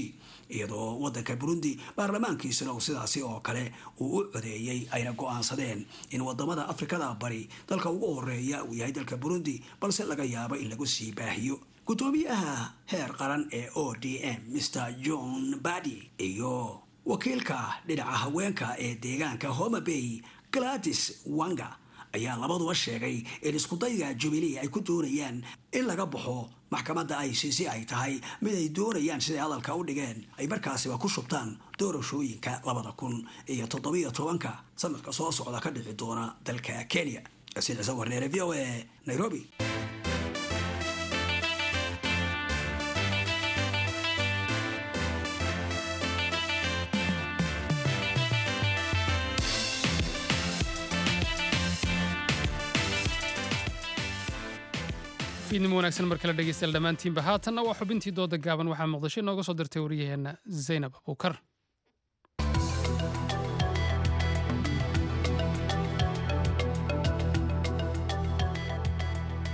iyadoo wadanka Burundi baarlamaankiisuna uu sidaasi oo kale uu u codeeyey, ayna go'aansadeen in wadamada Afrikada Bari dalka ugu horeeya uu yahay dalka Burundi, balse laga yaabo in lagu sii baahiyo. Gudoomiyaha heer qaran ee O D M Mister John Badi iyo wakiilka dhinaca haweenka ee deegaanka Homa Bay Gladys Wanga ayaa labaduba sheegay in iskudayga Jubilee ay ku doonayaan in laga baxo maxkamadda I C C ay tahay mid ay doonayaan siday hadalka u dhigeen ay markaasiba ku shubtaan doorashooyinka labada kun iyo toddobiyo tobanka sanadka soo socda ka dhici doona dalka Kenya. Yaasiin Ciise Warneere, V O A, Nairobi. Fiidnimo wanaagsan mar kale dhegeystayaal dhammaantiinba. Haatanna waa xubintii dooda gaaban. Waxaa Muqdisho inooga soo dirtay wariyaheenna Zaynab Abuukar.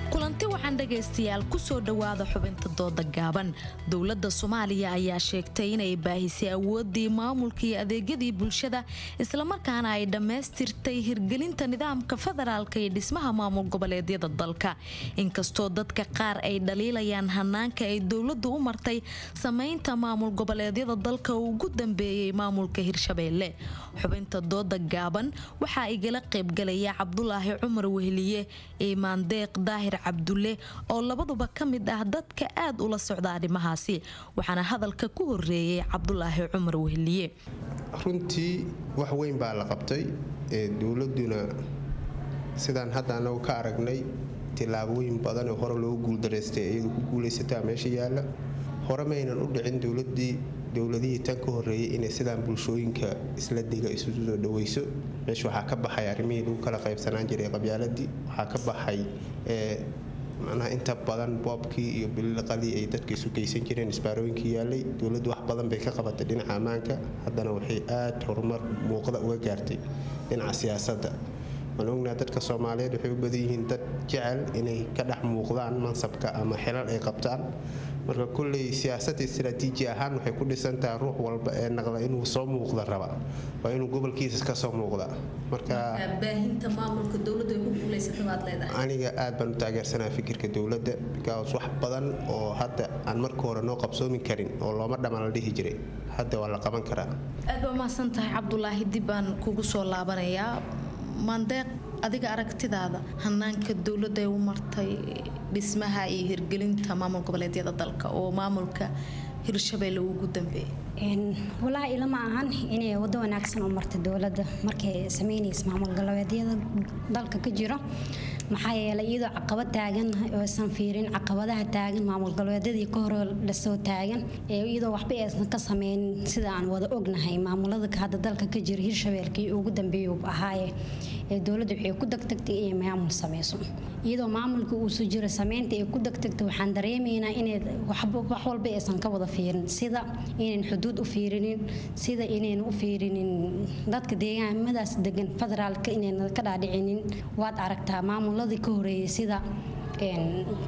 Kulanti waxaan dhegaystayaal kusoo dhowaada xubinta dooda gaaban. Dowladda Soomaaliya ayaa sheegtay inay baahisay awooddii maamulka iyo adeegyadii bulshada, islamarkaana ay dhammaystirtay hirgelinta nidaamka federaalka iyo dhismaha maamul goboleedyada dalka. Inkastoo dadka qaar ay dhaliilayaan hanaanka ay dowladdu u martay samaynta maamul goboleedyada dalka oo ugu dambeeyey maamulka Hirshabeelle. Xubinta dooda gaaban waxaa igala qaybgalaya Cabdulaahi Cumar Wehliye, Iimaan Deeq Daahir Cabdulle oo labaduba ka mid ah dadka aad ula socda arrimahaasi. Waxaana hadalka ku horeeyay Cabdulaahi Cumar Wehliye. Runtii wax weyn baa la qabtay, ee dowladuna sidaan hadda anagu ka aragnay tillaabooyin badan oo hore loogu guuldaraystay iyadu ku guulaysataa meesha yaalla. Hore maynan u dhicin dowladii dowladihii tan ka horeeyay inay sidaan bulshooyinka isla dega isu soo dhaweyso. Meesha waxaa ka baxay arrimihii lagu kala qaybsanaan jiray qabyaaladii, waxaa ka baxay macnaha inta badan boobkii iyo bililiqadii ay dadka isu geysan jireen, isbaarooyinkii yaallay. Dowladdu wax badan bay ka qabatay dhinaca ammaanka, haddana waxay aad horumar muuqda uga gaartay dhinaca siyaasadda. Waan ognahay dadka Soomaaliyeed waxay u badan yihiin dad jecel inay ka dhex muuqdaan mansabka ama xilal ay qabtaan. Marka kulley siyaasadda istiraatiiji ahaan waxay ku dhisan tahay ruux walba ee naqda inuu soo muuqda raba waa inuu gobolkiisa ka soo muuqda. Marka baahinta maamulka dowladda ay ku guuleysatay baad leedahay. Aniga aad baan u taageersanahay fikirka dowladda, because wax badan oo hadda aan marka hore noo qabsoomi karin oo looma dhamaan la dhihi jiray hadda waa la qaban karaa. Aad baa mahadsan tahay Cabdulaahi, dib baan kugu soo laabanayaa. Maandeeq, adiga aragtidaada hanaanka dowladda ay u martay dhismaha iyo hirgelinta maamul goboleedyada dalka oo maamulka Hirshabeelle ugu dambeeyay? Walaahi ilama ahan inay wado wanaagsan u martay dowladda markay sameynaysa maamul goboleedyada dalka ka jiro. Maxaa yeelay iyadoo caqabad taagan oo aysan fiirin caqabadaha taagan maamul goboleedyadii ka hor lasoo taagan, iyadoo waxba aysan ka sameynin sida aan wada ognahay maamulada hadda dalka ka jira Hirshabeelle ugu dambeeyay uu ahaaye, ee dowladdu waxay ku degdegtay inay maamul sameyso. Iyadoo maamulka uu soo jiro sameynta ay ku degdegtay, waxaan dareemaynaa inay wax walba aysan ka wada fiirin, sida inayn xuduud u fiirinin, sida inayn u fiirinin dadka deegaamadaas degan federaalka inayn ka dhaadhicinin. Waad aragtaa maamuladii ka horeeyay sida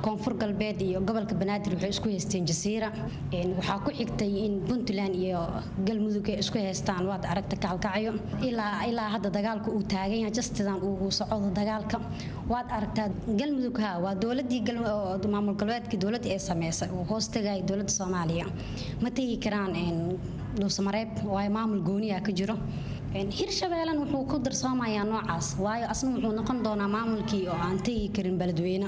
Koonfur Galbeed iyo gobolka Banaadir waxay isku haysteen Jasiira, waxaa ku xigtay in Puntland iyo Galmudug ay isku haystaan, waad aragta kaalkacyo ilaa ilaa hadda dagaalka uu taagan yahay, jastidan uu socdo dagaalka. Waad aragtaa Galmudug ha waa dowladii maamul goboleedkii dowladda ee sameysay oo hoos tagay dowladda Soomaaliya, ma tegi karaan Dhuusamareeb waayo maamul gooniya ka jiro. Hirshabeellan wuxuu ku darsoomayaa noocaas, waayo asna wuxuu noqon doonaa maamulkii oo aan tegi karin beledweyne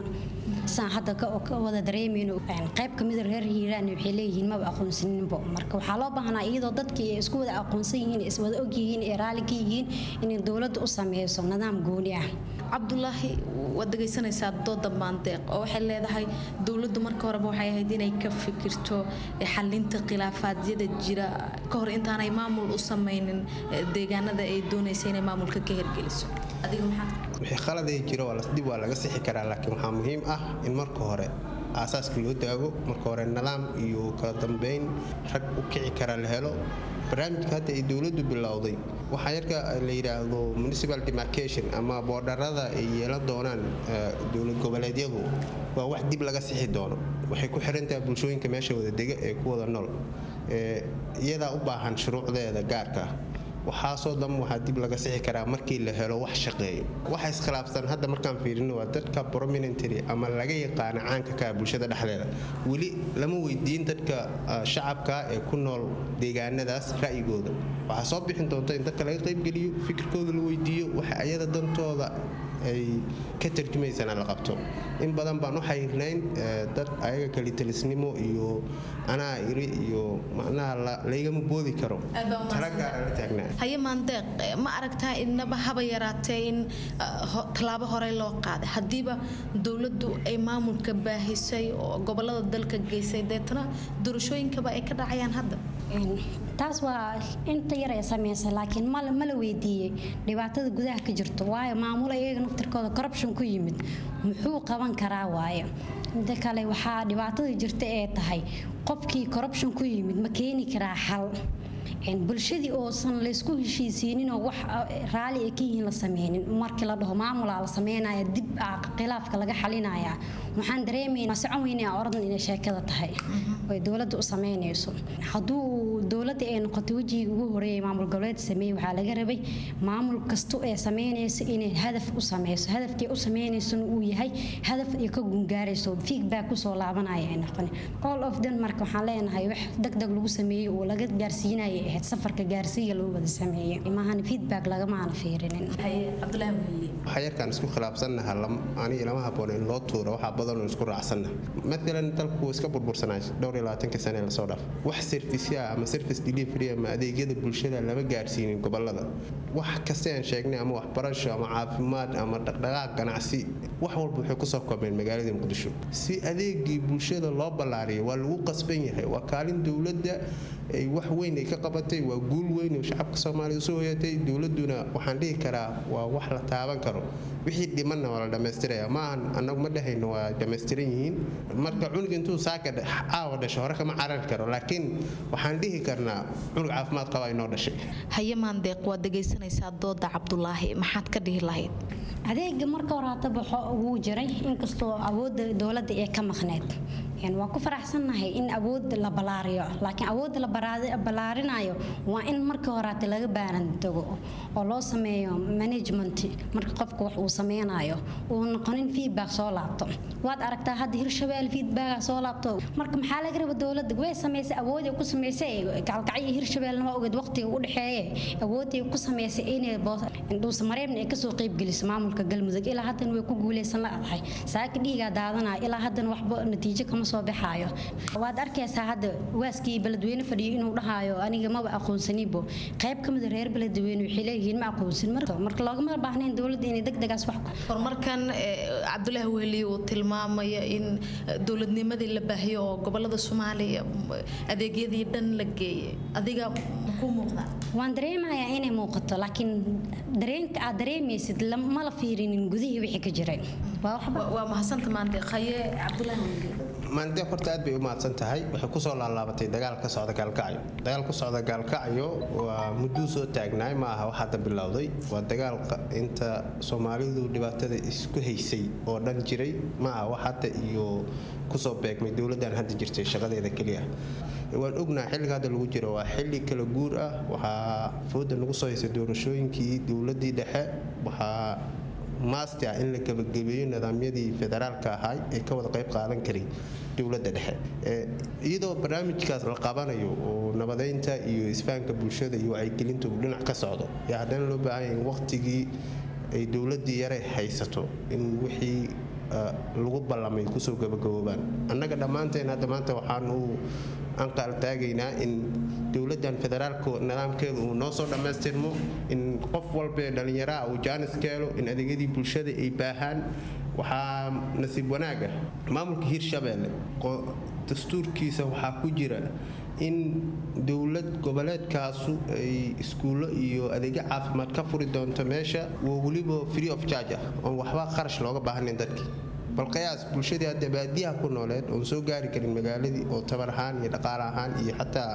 saan hadda ka wada dareemayno. Qayb ka mid a reer Hiiraan waxay leeyihiin maba aqoonsaninbo. Marka waxaa loo baahnaa iyadoo dadkii ay isku wada aqoonsan yihiin, is wada og yihiin, ee raalli ka yihiin inay dowladda u sameyso nidaam gooni ah. Cabdulaahi, waad dhegaysanaysaa dooda Maandeeq oo waxay leedahay dowladdu marka horeba waxay ahayd inay ka fikirto xalinta khilaafaadyada jira ka hor intaanay maamul u sameynin deegaanada ay doonaysa inay maamulka ka hirgeliso. Adiga maxaad? Wixii khaladay jiro waa dib waa laga sixi karaa, laakiin waxaa muhiim ah in marka hore aasaaska loo daago, marka hore nidaam iyo kala dambeyn rag u kici kara la helo. Barnaamijka hadda ay dowladdu bilowday waxaa yarka la yidhaahdo municipal demarcation ama boodharada ay yeelan doonaan dowlad goboleedyadu waa wax dib laga sixi doono. Waxay ku xirantahay bulshooyinka meesha wada dega ee ku wada nool, iyadaa u baahan shuruucdeeda gaarka ah. Waxaasoo dhan waxaa dib laga sixi karaa markii la helo wax shaqeeyo. Waxa iskhilaafsan hadda markaan fiirino waa dadka prominentary ama laga yaqaana caanka ka bulshada dhexdeeda. Weli lama weydiin dadka shacabka ee ku nool deegaanadaas ra'yigooda. Waxaa soo bixin doonta in dadka laga qaybgeliyo, fikirkooda la weydiiyo, waxa ayada dantooda ay ka tarjumaysana la qabto. In badan baan u xayiirnayn dad ayaga kalitalisnimo iyo anaa iri iyo macnaha laygama boodi karo tala gaara la taagnaa. Haye Maandeeq, ma aragtaa innaba haba yaraatee in tallaabo horey loo qaaday haddiiba dowladdu ay maamulka baahisay oo gobolada dalka geysay, deetana doorashooyinkaba ay ka dhacayaan hadda? Taas waa inta yar ee sameysay, laakiin ma la weydiiyey dhibaatada gudaha ka jirto? Waayo maamul iyaga naftirkooda corruption ku yimid muxuu qaban karaa? Waaye mida kale, waxaa dhibaatada jirta ee tahay qofkii corruption ku yimid ma keeni karaa xal bulshadii oosan laysku heshiisiininoo wax raali ay ka yihiin la sameynin? Markii la dhaho maamulaa la sameynaya, dib khilaafka laga xalinayaa, waxaan dareemaynaa socon weynaa oran inay sheekada tahay oy dowladda u sameynayso. Hadduu dowladda ay noqoto wejigii ugu horeeyay maamul goboleed sameeyey, waxaa laga rabay maamul kasto ee sameynayso inay hadaf u sameyso, hadafkii u sameynaysona uu yahay hadaf ay ka gungaarayso, feedback kusoo laabanaya ay noqon all of them. Marka waxaan leenahay wax degdeg lagu sameeyey oo laga gaarsiinaya ahayd safarka gaarsiiya loo wada sameeyey, maahan feedback lagamaana fiirinin. Waxaa yarkaan isku khilaafsannaha aniga lama habboona in loo tuuro, waxaa badanoo isku raacsanna. Maalan dalku iska burbursanaa dhowr iyo labaatanka sane lasoo dhaaf, wax service ama service delivery ama adeegyada bulshada lama gaarsiinin gobolada. Wax kasta aan sheegnay, ama waxbarasho ama caafimaad ama dhaqdhaqaaq ganacsi, wax walba waxay kusoo koobmeen magaalada Muqdisho. Si adeegii bulshada loo ballaariyo waa lagu qasban yahay, waa kaalin dowladda ay wax weyn ay ka qabatay, waa guul weyn oo shacabka Soomaaliya soo hoyatay. Dowladuna waxaan dhihi karaa waa wax la taaban karo, wixii dhimanna waa la dhammaystiraya. Maahan annagu ma dhahayno waa dhammaystiran yihiin. Marka cunug intuu saaka caawa dhasho hore kama carari karo, laakiin waxaan dhihi karnaa cunug caafimaad qaba inoo dhashay. Haye Maandeeq, waad dhegaysanaysaa dooda Cabdulaahi, maxaad ka dhihi lahayd? Adeega marka hore hata baxo wuu jiray, inkastoo awoodda dowladda ee ka maqneyd. Waa ku faraxsannahay in awood la balaariyo, laakiin awoodda la balaarinayo waa in marka horaate laga baaran tago oo loo sameeyo management. Marka qofka wax uu sameynayo uu noqonin feedback soo laabto. Waad aragtaa hadda Hirshabelle feedback soo laabto. Marka maxaa laga raba dowladda? Way sameysay awood ay ku sameysay gaalkacyo Hirshabellena waa ogeed waqtiga u dhexeeye awood ay ku sameysay inay Dhuusamareebna ay kasoo qayb geliso maamulka Galmudug. Ilaa haddana way ku guuleysan la-dahay, saaka dhiigaa daadanaya, ilaa haddana waxba natiijo kama soo baxaayo. Waad arkaysaa hadda waaskii Beledweyne fadhiyo inuu dhahayo aniga maba aqoonsanibo. Qayb ka mid reer Beledweyne waxay leeyihiin ma aqoonsan. Marka marka loogama baahnayn dowladda inay degdegaas wax horumarkan Cabdulaahi Weheliye uu tilmaamaya in dowladnimadii la baahiyo oo gobolada Soomaaliya adeegyadii dhan la geeyay, adiga ku muuqda? Waan dareemayaa inay muuqato, laakiin dareenka aad dareemaysid ma la fiirinin gudihii wixii ka jiray. Waa mahadsanta Maandeeq. Haye Cabdulaahi Weheliye. Maandeeq horta aad bay u mahadsan tahay. Waxay kusoo laalaabatay dagaal ka socda Gaalkacyo. Dagaal ku socda Gaalkacyo waa mudduu soo taagnaay, ma aha wax hadda bilowday. Waa dagaal inta Soomaalidu dhibaatada isku haysay oo dhan jiray, ma aha wax hadda iyo kusoo beegmay dowladdan hadda jirtay shaqadeeda keliya. Waan ognahay xilliga hadda lagu jiro waa xilli kala guur ah. Waxaa fooda nagu soo haysay doorashooyinkii dowladdii dhexe. Waxaa maasti ah in la gabagabeeyo nidaamyadii federaalka ahaa ee ka wada qayb qaadan karay dowladda dhexe, iyadoo barnaamijkaas la qabanayo oo nabadeynta iyo isfahanka bulshada iyo wacyigelinta uu dhinac ka socdo, yaa haddana loo baahan yahay in waqtigii ay dowladdii yare haysato in wixii lagu ballamay kusoo gabagaboobaan. Annaga dhammaanteen hadda maanta waxaan u anqaal taagaynaa in dowladdan federaalka nidaamkeedu uu noo soo dhammaystirmo, in qof walba ee dhallinyaraha uu jaanis ka helo, in adeegyadii bulshada ay baahaan. Waxaa nasiib wanaag ah maamulka Hirshabelle dastuurkiisa waxaa ku jira in dowlad goboleedkaasu ay iskuullo iyo adeegyo caafimaad ka furi doonto meesha, oo weliba free of charge ah, oon waxba kharash looga baahnayn dadkii. Bal qiyaas bulshadii hadda baadiyaha ku nooleed oon soo gaari karin magaaladii, oo tabar ahaan iyo dhaqaale ahaan iyo xataa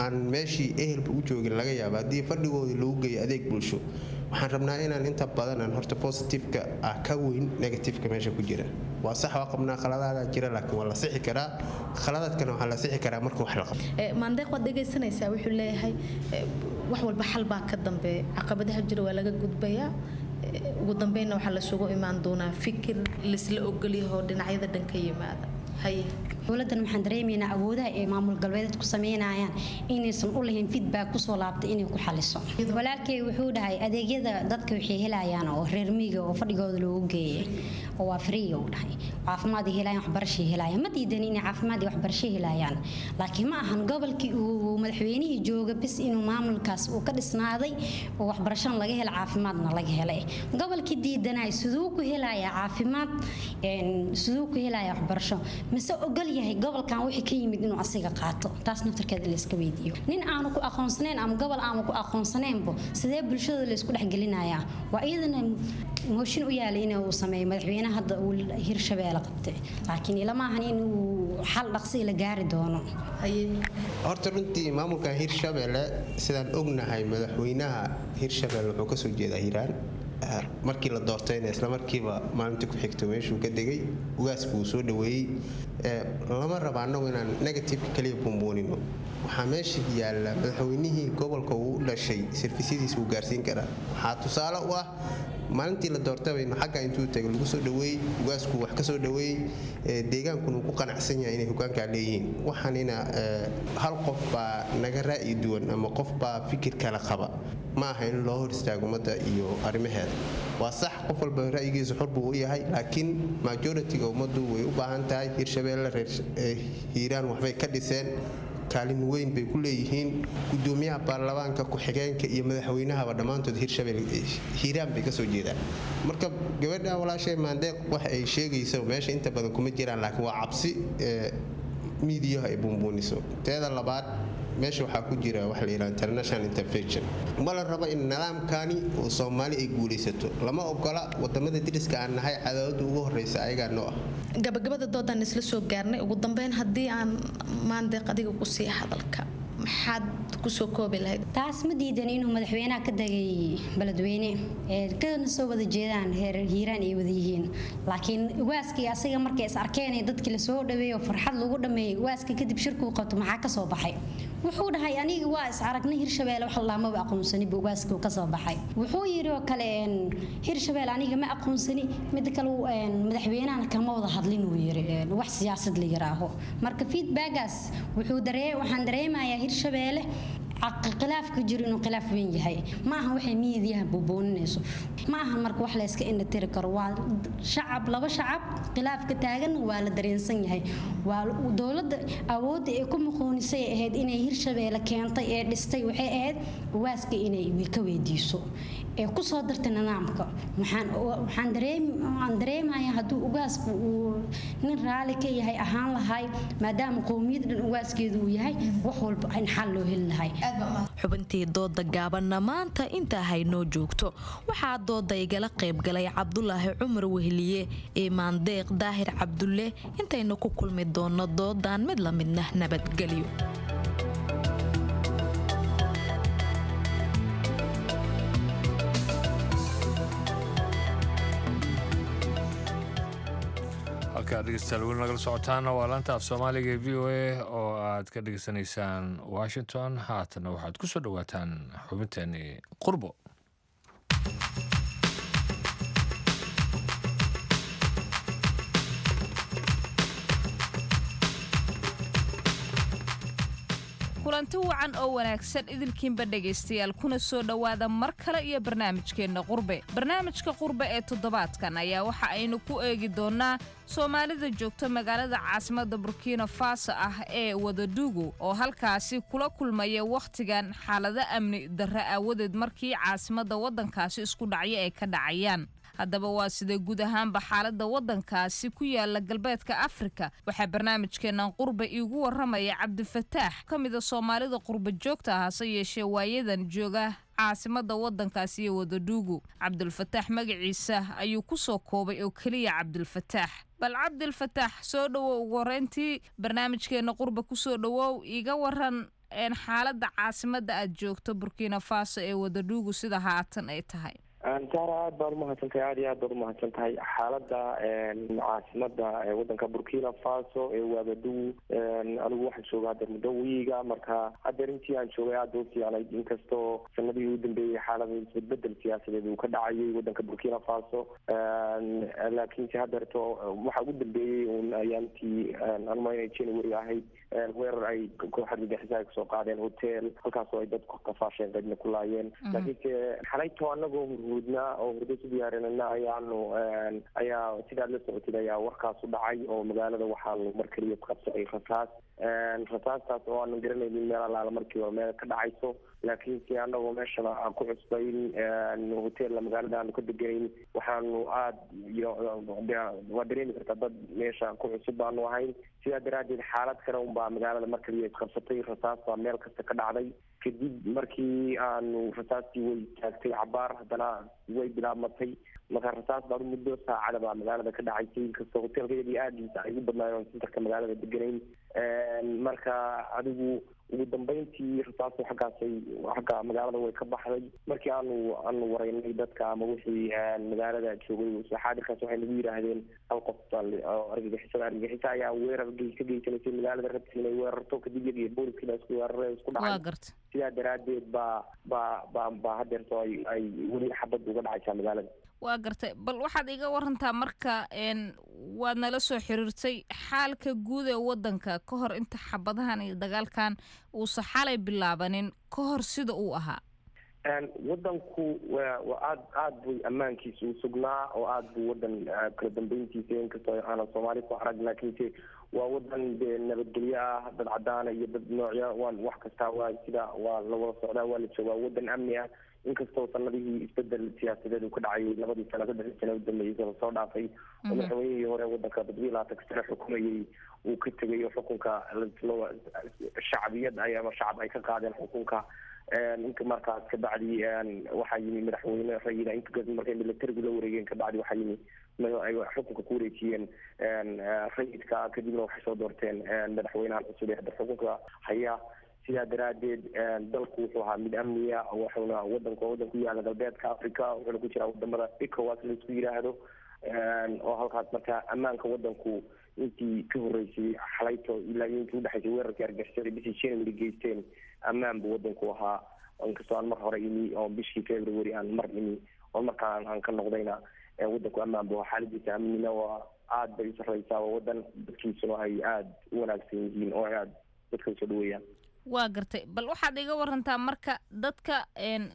aan meeshii ehelba u joogin laga yaaba, haddii fadhigoodii lagu geeyo adeeg bulsho. Waxaan rabnaa inaan inta badan aan horta positiveka ah ka weyn negativeka meesha ku jira. Waa sax, waa qabnaa khaladaada jira, laakiin waa la sixi karaa. Khaladaadkana waxaa la sixi karaa marka wax la qabto. Maandeeq, waad dhegaysanaysaa, wuxuu leeyahay wax walba xal baa ka dambeeya, caqabadaha jira waa laga gudbayaa, ugu dambeynna waxaa lasugu imaan doonaa fikir laisla ogolyaho dhinacyada dhan ka yimaada. Haye. Dowladdan waxaan dareemaynaa awoodaha ay maamul galbeedeed ku sameynayaan inaysan u lahayn feedback kusoo laabtay inay ku xaliso. Walaalkay wuxuu dhahay adeegyada dadka waxay helayaan oo reer miyiga oo fadhigooda loogu geeyay oo waa free uu dhahay, caafimaad ay helayaan, waxbarashay helayaan. Ma diidan inay caafimaad iyo waxbarasho helayaan, laakiin ma ahan gobolkii uu madaxweynihii jooga bis inuu maamulkaas uu ka dhisnaaday oo waxbarashana laga helay, caafimaadna laga helay. Gobolkii diidanay siduu ku helayaa caafimaad, siduu ku helayaa waxbarasho? Mise ogol yahay gobolkan wixii ka yimid inuu asiga qaato? Taas naftarkeeda la iska weydiiyo. Nin aanu ku aqoonsanayn ama gobol aanu ku aqoonsanaynbo, sidee bulshada la isku dhexgelinayaa? Waa iyadana mooshin u yaalay in uu sameeyo madaxweynaha hadda uu Hirshabeelle qabtay, laakiin ilama ahan in uu xal dhaqsi la gaari doono. Horta runtii maamulka Hirshabelle, sidaan ognahay, madaxweynaha Hirshabelle wuxuu kasoo jeedaa Hiiraan. Markii la doortayna isla markiiba maalintii ku xigta meeshuu ka degay, ugaasku uu soo dhaweeyey. Lama raba annagu inaan negativeka kaliya buunbuunino. Waxaa meesha yaalla madaxweynihii gobolka uu u dhashay servisyadiisa uu gaarsiin karaa. Waxaa tusaale u ah maalintii la doortabaynu xagga intuu tagay lagu soo dhaweeyey, ugaasku wax ka soo dhaweeyey, deegaankuna uu ku qanacsan yahay inay hogaankaa leeyihiin. Waxaanina hal qof baa naga ra'yi duwan ama qof baa fikir kale qaba ma aha in loo hor istaago ummadda iyo arrimaheeda. Waa sax, qof walba ra'yigiisa xor buu u yahay, laakiin majoritiga ummaddu way u baahan tahay. Hirshabeelle reer Hiiraan waxbay ka dhiseen, kaalin weyn bay ku leeyihiin. Gudoomiyaha baarlamaanka, ku-xigeenka iyo madaxweynahaba dhammaantood Hirshabelle Hiiraan bay kasoo jeedaan. Marka gabadha walaashay Maandeeq wax ay sheegayso meesha inta badan kuma jiraan, laakiin waa cabsi miidiyaha ay buunbuuniso. Teeda labaad, meesha waxaa ku jira wax la yidhaha international intervention. Ma la rabo in nidaamkani oo Soomaali ay guulaysato, lama ogola. Wadamada deriska aan nahay cadaaladda ugu horeysa ayagaa noo ah. Gabagabada doodaan isla soo gaarnay. Ugu dambeyn, haddii aan Maandeeq adiga ku sii hadalka, maxaad kusoo koobi lahayd? Taas ma diidan inuu madaxweynaha ka degay Beledweyne ee kana soo wada jeedaan heer Hiiraan ay wada yihiin, laakiin ugaaskii asiga markay is arkeen ee dadkii lasoo dhaweeyay oo farxad lagu dhameeyay, ugaaska kadib shirku qabto maxaa ka soo baxay? Wuxuu dhahay aniga waa is aragnay, Hirshabelle wax laamaba aqoonsani buu ugaaska ka soo baxay. Wuxuu yiri oo kale Hirshabelle aniga ma aqoonsani, mid kale madaxweynahana kama wada hadlin uu yiri wax siyaasad la yiraaho. Marka feedbackaas wuxuu daree waxaan dareemayaa Hirshabelle khilaafka jiro inuu khilaaf weyn yahay. Ma aha waxay miidiyaha buubuuninayso, ma aha marka wax la iska indhatiri karo. Waa shacab, laba shacab khilaafka taagan waa la dareensan yahay. Waa dowladda awoodda ay ku muqoonisay ahayd inay Hirshabeelle keentay ee dhistay, waxay ahayd ugaaska inay ka weydiiso ee ku soo dartay nidaamka. Waxaan waxaan dareem waxaan dareemayaa hadduu ugaasku uu nin raali ka yahay ahaan lahay, maadaama qowmiyad dhan ugaaskeedu uu yahay, wax walba in xal loo heli lahay. Xubintii dooda gaabanna maanta intaa haynoo joogto. Waxaa dooda igala qaybgalay Cabdulaahi Cumar Wehliye ee Maandeeq Daahir Cabdulle. Intaynu ku kulmi doono doodan mid la midna, nabadgelyo. Halkaad dhegeystayaal weli nagala socotaana waa laanta af Soomaaliga ee V O A oo aad ka dhegeysanaysaan Washington. Haatana waxaad ku soo dhowaataan xubinteeni Qurbo. Kulanti wacan oo wanaagsan idilkiinba dhegaystayaal, kuna soo dhowaada mar kale iyo barnaamijkeenna Qurbe. Barnaamijka Qurbe ee toddobaadkan ayaa waxa aynu ku eegi doonnaa Soomaalida joogta magaalada caasimadda Burkina Faso ah ee Wagadugu, oo halkaasi kula kulmaya wakhtigan xaalado amni darre aawadeed markii caasimadda waddankaasi isku dhacyo ay ka dhacayaan. Haddaba waa sidee guud ahaanba xaaladda waddankaasi ku yaala galbeedka Afrika? Waxaa barnaamijkeennan Qurbe iigu warramaya Cabdifataax, ka mida Soomaalida qurba joogta ah, hase yeeshee waayadan jooga caasimadda waddankaasi iyo Wagadugu. Cabdulfataax magaciisa ayuu ku soo koobay oo keliya Cabdulfataax. Bal Cabdilfataax, soo dhowow ugu horreyntii barnaamijkeena Qurba kusoo dhowow. Iga waran xaaladda caasimadda aad joogto, Burkina Faso, ee Wagadugu, sida haatan ay tahay. Saara, aad baad umahadsan tahay, aad iyo aad baad umahadsan tahay. Xaaladda caasimada wadanka Burkina Faso ee Wagadugu, anigu waxaan jooga haddeer muddo wiiga. Marka haddeer intii aan joogay aad u fiicnayd, inkastoo sanadihii u dambeeyey xaalada isbedbedel siyaasadeed uu ka dhacayay wadanka Burkina Faso. Laakiinse haddeerto waxa ugu dambeeyey un ayaantii anuma inay January ahayd, weerar ay koox argagixisa ay kusoo qaadeen hotel, halkaasoo ay dadku kafaasheen, qaybna ku laayeen. Laakiinse xalayto anagoo hurhurdnaa oo hurdo isu diyaarinana ayaanu ayaa sidaad la socotid ayaa warkaasu dhacay, oo magaalada waxaanu mar keliya qabsacay rasaas, rasaastaas oo aanan garanaynin meel allaala markii hore meel ka dhacayso. Laakiinse anagoo meeshana aan ku cusbayn, hoteella magaalada aanu ka deganayn, waxaanu aad iyo waa dareemi kartaa dad meesha ku cusub baanu ahayn. Sidaa daraaddeed xaalad kale unbaa magaalada mar kaliya isqabsatay, rasaas baa meel kasta ka dhacday. Kadib markii aanu rasaastii way taagtay cabaar, haddana way bilaabmatay. Marka rasaas baa muddo saacada baa magaalada ka dhacaysay, inkastoo hoteelka iyagii aagiisa ay ugu badnaayeen oon centerka magaalada deganayn. Marka adigu ugu dambeyntii rasaastu xaggaasay xagga magaalada way ka baxday. Markii aanu aanu wareynay dadka ama wixii magaalada joogay xaadirkaas, waxay nagu yidhaahdeen hal qof baa oo argagixisada argagixisa ayaa weerar gey ka geysanaysay magaalada, rabtay inay weerarto. Kadib iyaga iyo booliskii baa isku weeraray, isku dhacay. Sidaa daraaddeed baa baa baa baa haddeerto ay ay weli xabadda uga dhacaysaa magaalada. Waa gartay. Bal waxaad iga warantaa marka, waad nala soo xiriirtay, xaalka guud ee wadanka ka hor inta xabadahan iyo dagaalkan uusa xalay bilaabanin ka hor sida uu ahaa. Wadanku wa wa aad aad buu ammaankiisa u sugnaa, oo aad buu wadan kala dambeyntiisa, inkastoo aanan Soomaali ku arag, laakiinse waa wadan dee nabadgelyo ah, dad cadaana iyo dad noocya waan wax kastaa waa sida waa la wada socdaa, waa la joogaa, wadan amni ah. Inkastoo sanadihii isbedel siyaasadeed uu ka dhacayay labadii sano, saddexdii sano u dambeeyey lasoo dhaafay, oo madaxweynihii hore wadanka toddobiyi labaatanka sano xukumayey uu ka tegay, oo xukunka shacbiyad ay ama shacab ay ka qaadeen xukunka. Inka markaas kabacdi waxaa yimi madaxweyne rayida. Inka markay militarigu la wareegeen kabacdi waxaa yimi ay xukunka ku wareejiyeen rayidka, kadibna waxay soo doorteen madaxweynahan cusub ee hadda xukunka haya. Sidaa daraaddeed dalku wuxuu ahaa mid amniya, wuxuuna wadanku wadan ku yaala galbeedka Africa, wuxuuna ku jiraa wadamada ECOWAS laisku yidhaahdo, oo halkaas marka ammaanka wadanku intii ka horreysay xalayto ilaa iyo intii udhexaysay weerarkii argagixisada bishii January geysteen, ammaan buu wadanku ahaa. Inkastoo aan mar hore imi oo bishii February aan mar imi oo markaan aan ka noqdayna, wadanku ammaan buu ahaa. Xaaladiisa amnina waa aad bay u sarreysaa, waa wadan dadkiisuna ay aada u wanaagsan yihiin oo ay aada dadka usoo dhaweeyaan. Waa gartay. Bal waxaad iga warantaa marka dadka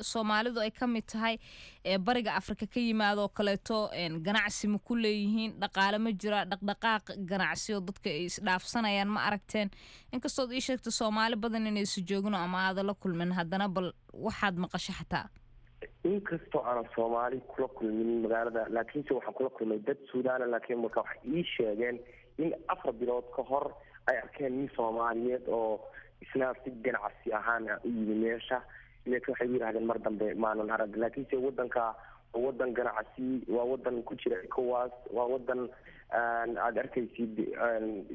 Soomaalidu ay ka mid tahay ee bariga Afrika ka yimaadoo kaleeto, ganacsi ma ku leeyihiin? Dhaqaale ma jiraa? Dhaqdhaqaaq ganacsi oo dadka ay isdhaafsanayaan ma aragteen? Inkastood ii sheegta Soomaali badan inaysu joogino ama aada la kulmin, haddana bal waxaad maqasho xataa. Inkastoo aanan Soomaali kula kulmin magaalada, laakiinse waxaan kula kulmay dad Suudaana. Laakiin marka waxay ii sheegeen in afar bilood ka hor ay arkeen nin Soomaaliyeed oo isna si ganacsi ahaan u yimi meesha, laakiin waxay yidhahdeen mar dambe maanan arag. Laakiinse wadanka waa wadan ganacsi, waa wadan ku jira ECOWAS, waa wadan aada arkaysid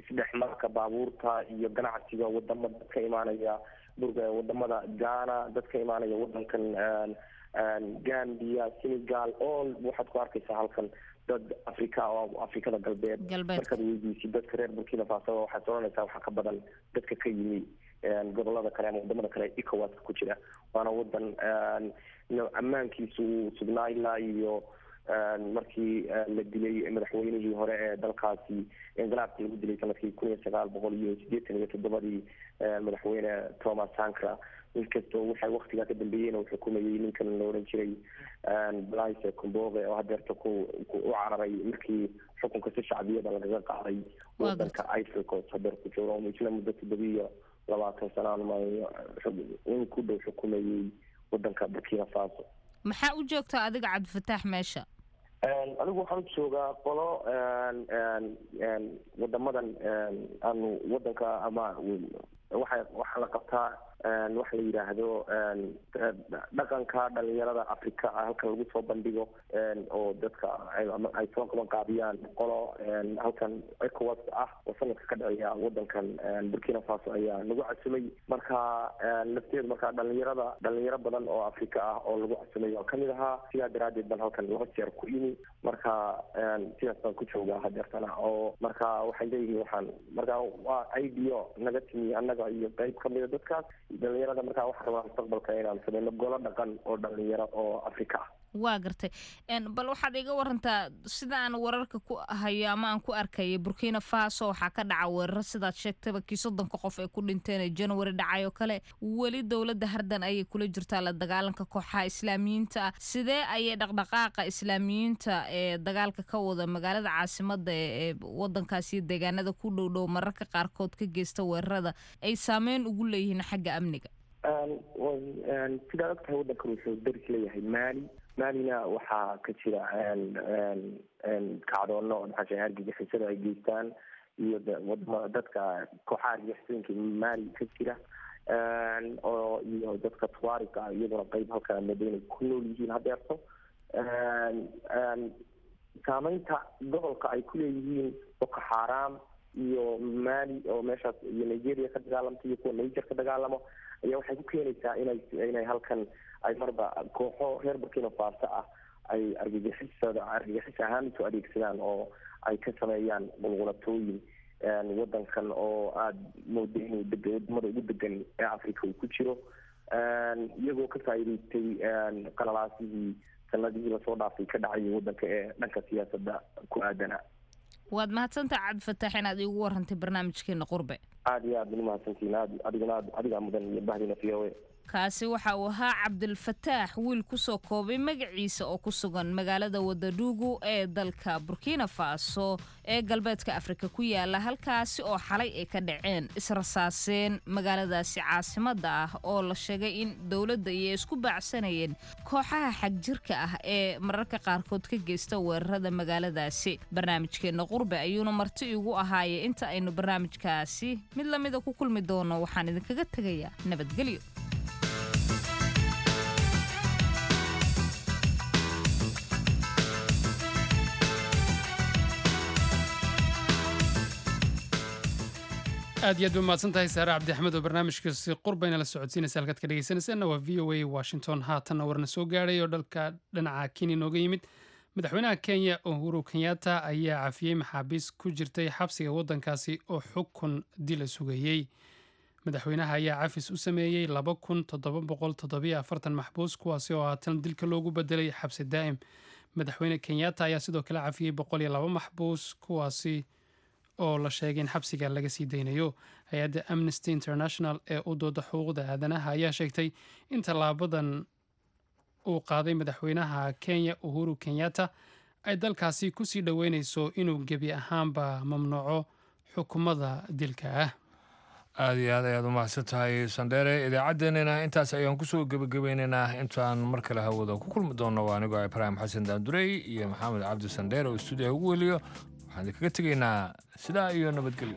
isdhexmarka baabuurta iyo ganacsiga wadamo dad ka imaanaya burga, wadamada Ghana, dad ka imaanaya wadankan Gambia, Senegal, all waxaad ku arkaysaa halkan dad Africa oo Afrikada galbeed. Markaad weydiisid dadka reer Burkina Faso, waxaad oranaysaa waxaa ka badan dadka ka yimi gobolada kale ama wadamada kale ECOWAS ku jira. Waana wadan ammaankiisu uu sugnaa ilaa iyo markii la dilay madaxweynihii hore ee dalkaasi, inqilaabkii lagu dilay sanadkii kun iyo sagaal boqol iyo siddeetan iyo toddobadii, madaxweyne Thomas Sankara. Inkastoo waxay waktigaa ka dambeeyeen uu xukumayay ninkan la oran jiray Blaise Compaoré, oo hadeerta ku u cararay markii xukunka si shacbiyada lagaga qaaday wadanka Ivory Coast, hadeer ku joogo isna muddo toddobiyo labaatan sano in ku dhow xukumayay wadanka Burkina Faso. Maxaa u joogtaa adiga, Cabdifataax, meesha? Anigu waxaan u joogaa qolo wadamadan aanu wadanka ama waxa waxaa la qabtaa Waxa la yidhaahdo dhaqanka dhalinyarada Africa halkan lagu soo bandhigo oo dadka ay soo qaban qaabiyaan qolo halkan ECOWAS ah oo sanadka ka dhacaya wadankan Burkina Faso ayaa lagu casumay. Marka lafteedu marka dhalinyarada dhalinyaro badan oo Afrika ah oo lagu casumay oo kamid ahaa, sidaa daraadeed baan halkan laba jeer ku imi. Marka sidaas baan ku joogaa hadeertana oo marka waxay leeyihiin waxaan marka waa ideo naga timi annaga iyo qeyb kamida dadkaas dhalinyarada. Marka waxaan rabaa mustaqbalka inaan sameyno golo dhaqan oo dhalinyaro oo Afrika ah. Waa gartay. Bal waxaad iga warantaa sida aan wararka ku hayo ama aan ku arkaya, Burkina Faso waxaa ka dhaca weeraro sidaad sheegtayba kii soddonka qof ay ku dhinteen ee January dhacay oo kale. Weli dowladda hardan ayay kula jirtaa la dagaalanka kooxaha islaamiyiinta ah. Sidee ayay dhaqdhaqaaqa islaamiyiinta ee dagaalka ka wada magaalada caasimada ee wadankaasi iyo deegaanada ku dhow dhow mararka qaarkood ka geysta weerarada ay saameyn ugu leeyihiin xagga amniga? Sidaad ogtahay, wadankan wuxuu daris leeyahay Mali. Malina waxaa ka jira kacdoono maxaa argagixisada ay geystaan iyo wadama dadka kooxaha argagixisooyinka Mali ka jira oo iyo dadka Tuarega ah iyaguna qeyb halkan madaynay ku nool yihiin hadeerto. Saameynta gobolka ay ku leeyihiin Boko Xaaraam iyo Mali oo meeshaas iyo Nigeria ka dagaalamta iyo kuwa Niger ka dagaalamo ayaa waxay ku keenaysaa inay inay halkan ay marba kooxo reer Burkina Faso ah ay argagixisada argagixis ahaan isu adeegsadaan oo ay ka sameeyaan qulqulatooyin wadankan oo aada mooda inuu deg wadamada ugu degan ee Africa uu ku jiro, iyagoo ka faa'iidaystay qalalaasihii sanadihii lasoo dhaafay ka dhacayay wadanka ee dhanka siyaasadda ku aadana. Waad mahadsantaha, Cabdifataax, inaad iigu warantay barnaamijkeena Qurbe. Aada iyo aad umahadsantihiin, aad adiguna aad adigaa mudan iyo bahdina V O A. Kaasi waxa uu ahaa Cabdilfataax wiil kusoo koobay magaciisa oo ku sugan magaalada Wagadugu ee dalka Burkina Faso ee galbeedka Afrika ku yaala, halkaasi oo xalay ay ka dhaceen israsaaseen magaaladaasi caasimadda ah oo la sheegay in dowladda iyo isku baacsanayeen kooxaha xagjirka ah ee mararka qaarkood ka geysta weerarada magaaladaasi. Barnaamijkeenna Qurbe ayuuna marti igu ahaaye. Inta aynu barnaamijkaasi mid lamida ku kulmi doono, waxaan idinkaga tegayaa nabadgelyo. Aad iyo aad ba mahadsan tahay Saare Cabdi Axmed oo barnaamijkaasi Qurbayna la socodsiinaysa. Halkaad ka dhegeysanaysaanna waa V O A Washington. Haatanna warna soo gaadhay oo dhalka dhinaca Kenya nooga yimid. Madaxweynaha Kenya Uhuru Kenyatta ayaa cafiyey maxaabiis ku jirtay xabsiga waddankaasi oo xukun dila sugayey. Madaxweynaha ayaa cafis u sameeyey laba kun toddoba boqol toddobiyo afartan maxbuus, kuwaasi oo haatan dilka loogu bedelay xabsi daa'im. Madaxweyne Kenyatta ayaa sidoo kale cafiyey boqol iyo laba maxbuus, kuwaasi oo la sheegay in xabsiga laga sii daynayo. Hay-adda Amnesty International ee u dooda xuquuqda aadanaha ayaa sheegtay in tallaabadan uu qaaday madaxweynaha Kenya Uhuru Kenyatta ay dalkaasi kusii dhoweyneyso inuu gebi ahaanba mamnuuco xukumada dilka ah. Aada iyo aad ayaad u mahadsan tahay, Sandheere. Idaacaddeenina intaas ayaan kusoo gebagabeynaynaa. Intaan mar kale hawada ku kulmi doonno, waa anigoo Ibraahim Xasan Daandurey iyo Maxamed Cabdi Sandheere oo stuudiyaha ugu weliyo. Waxaan idinkaga tegaynaa sidaa iyo nabadgelyo.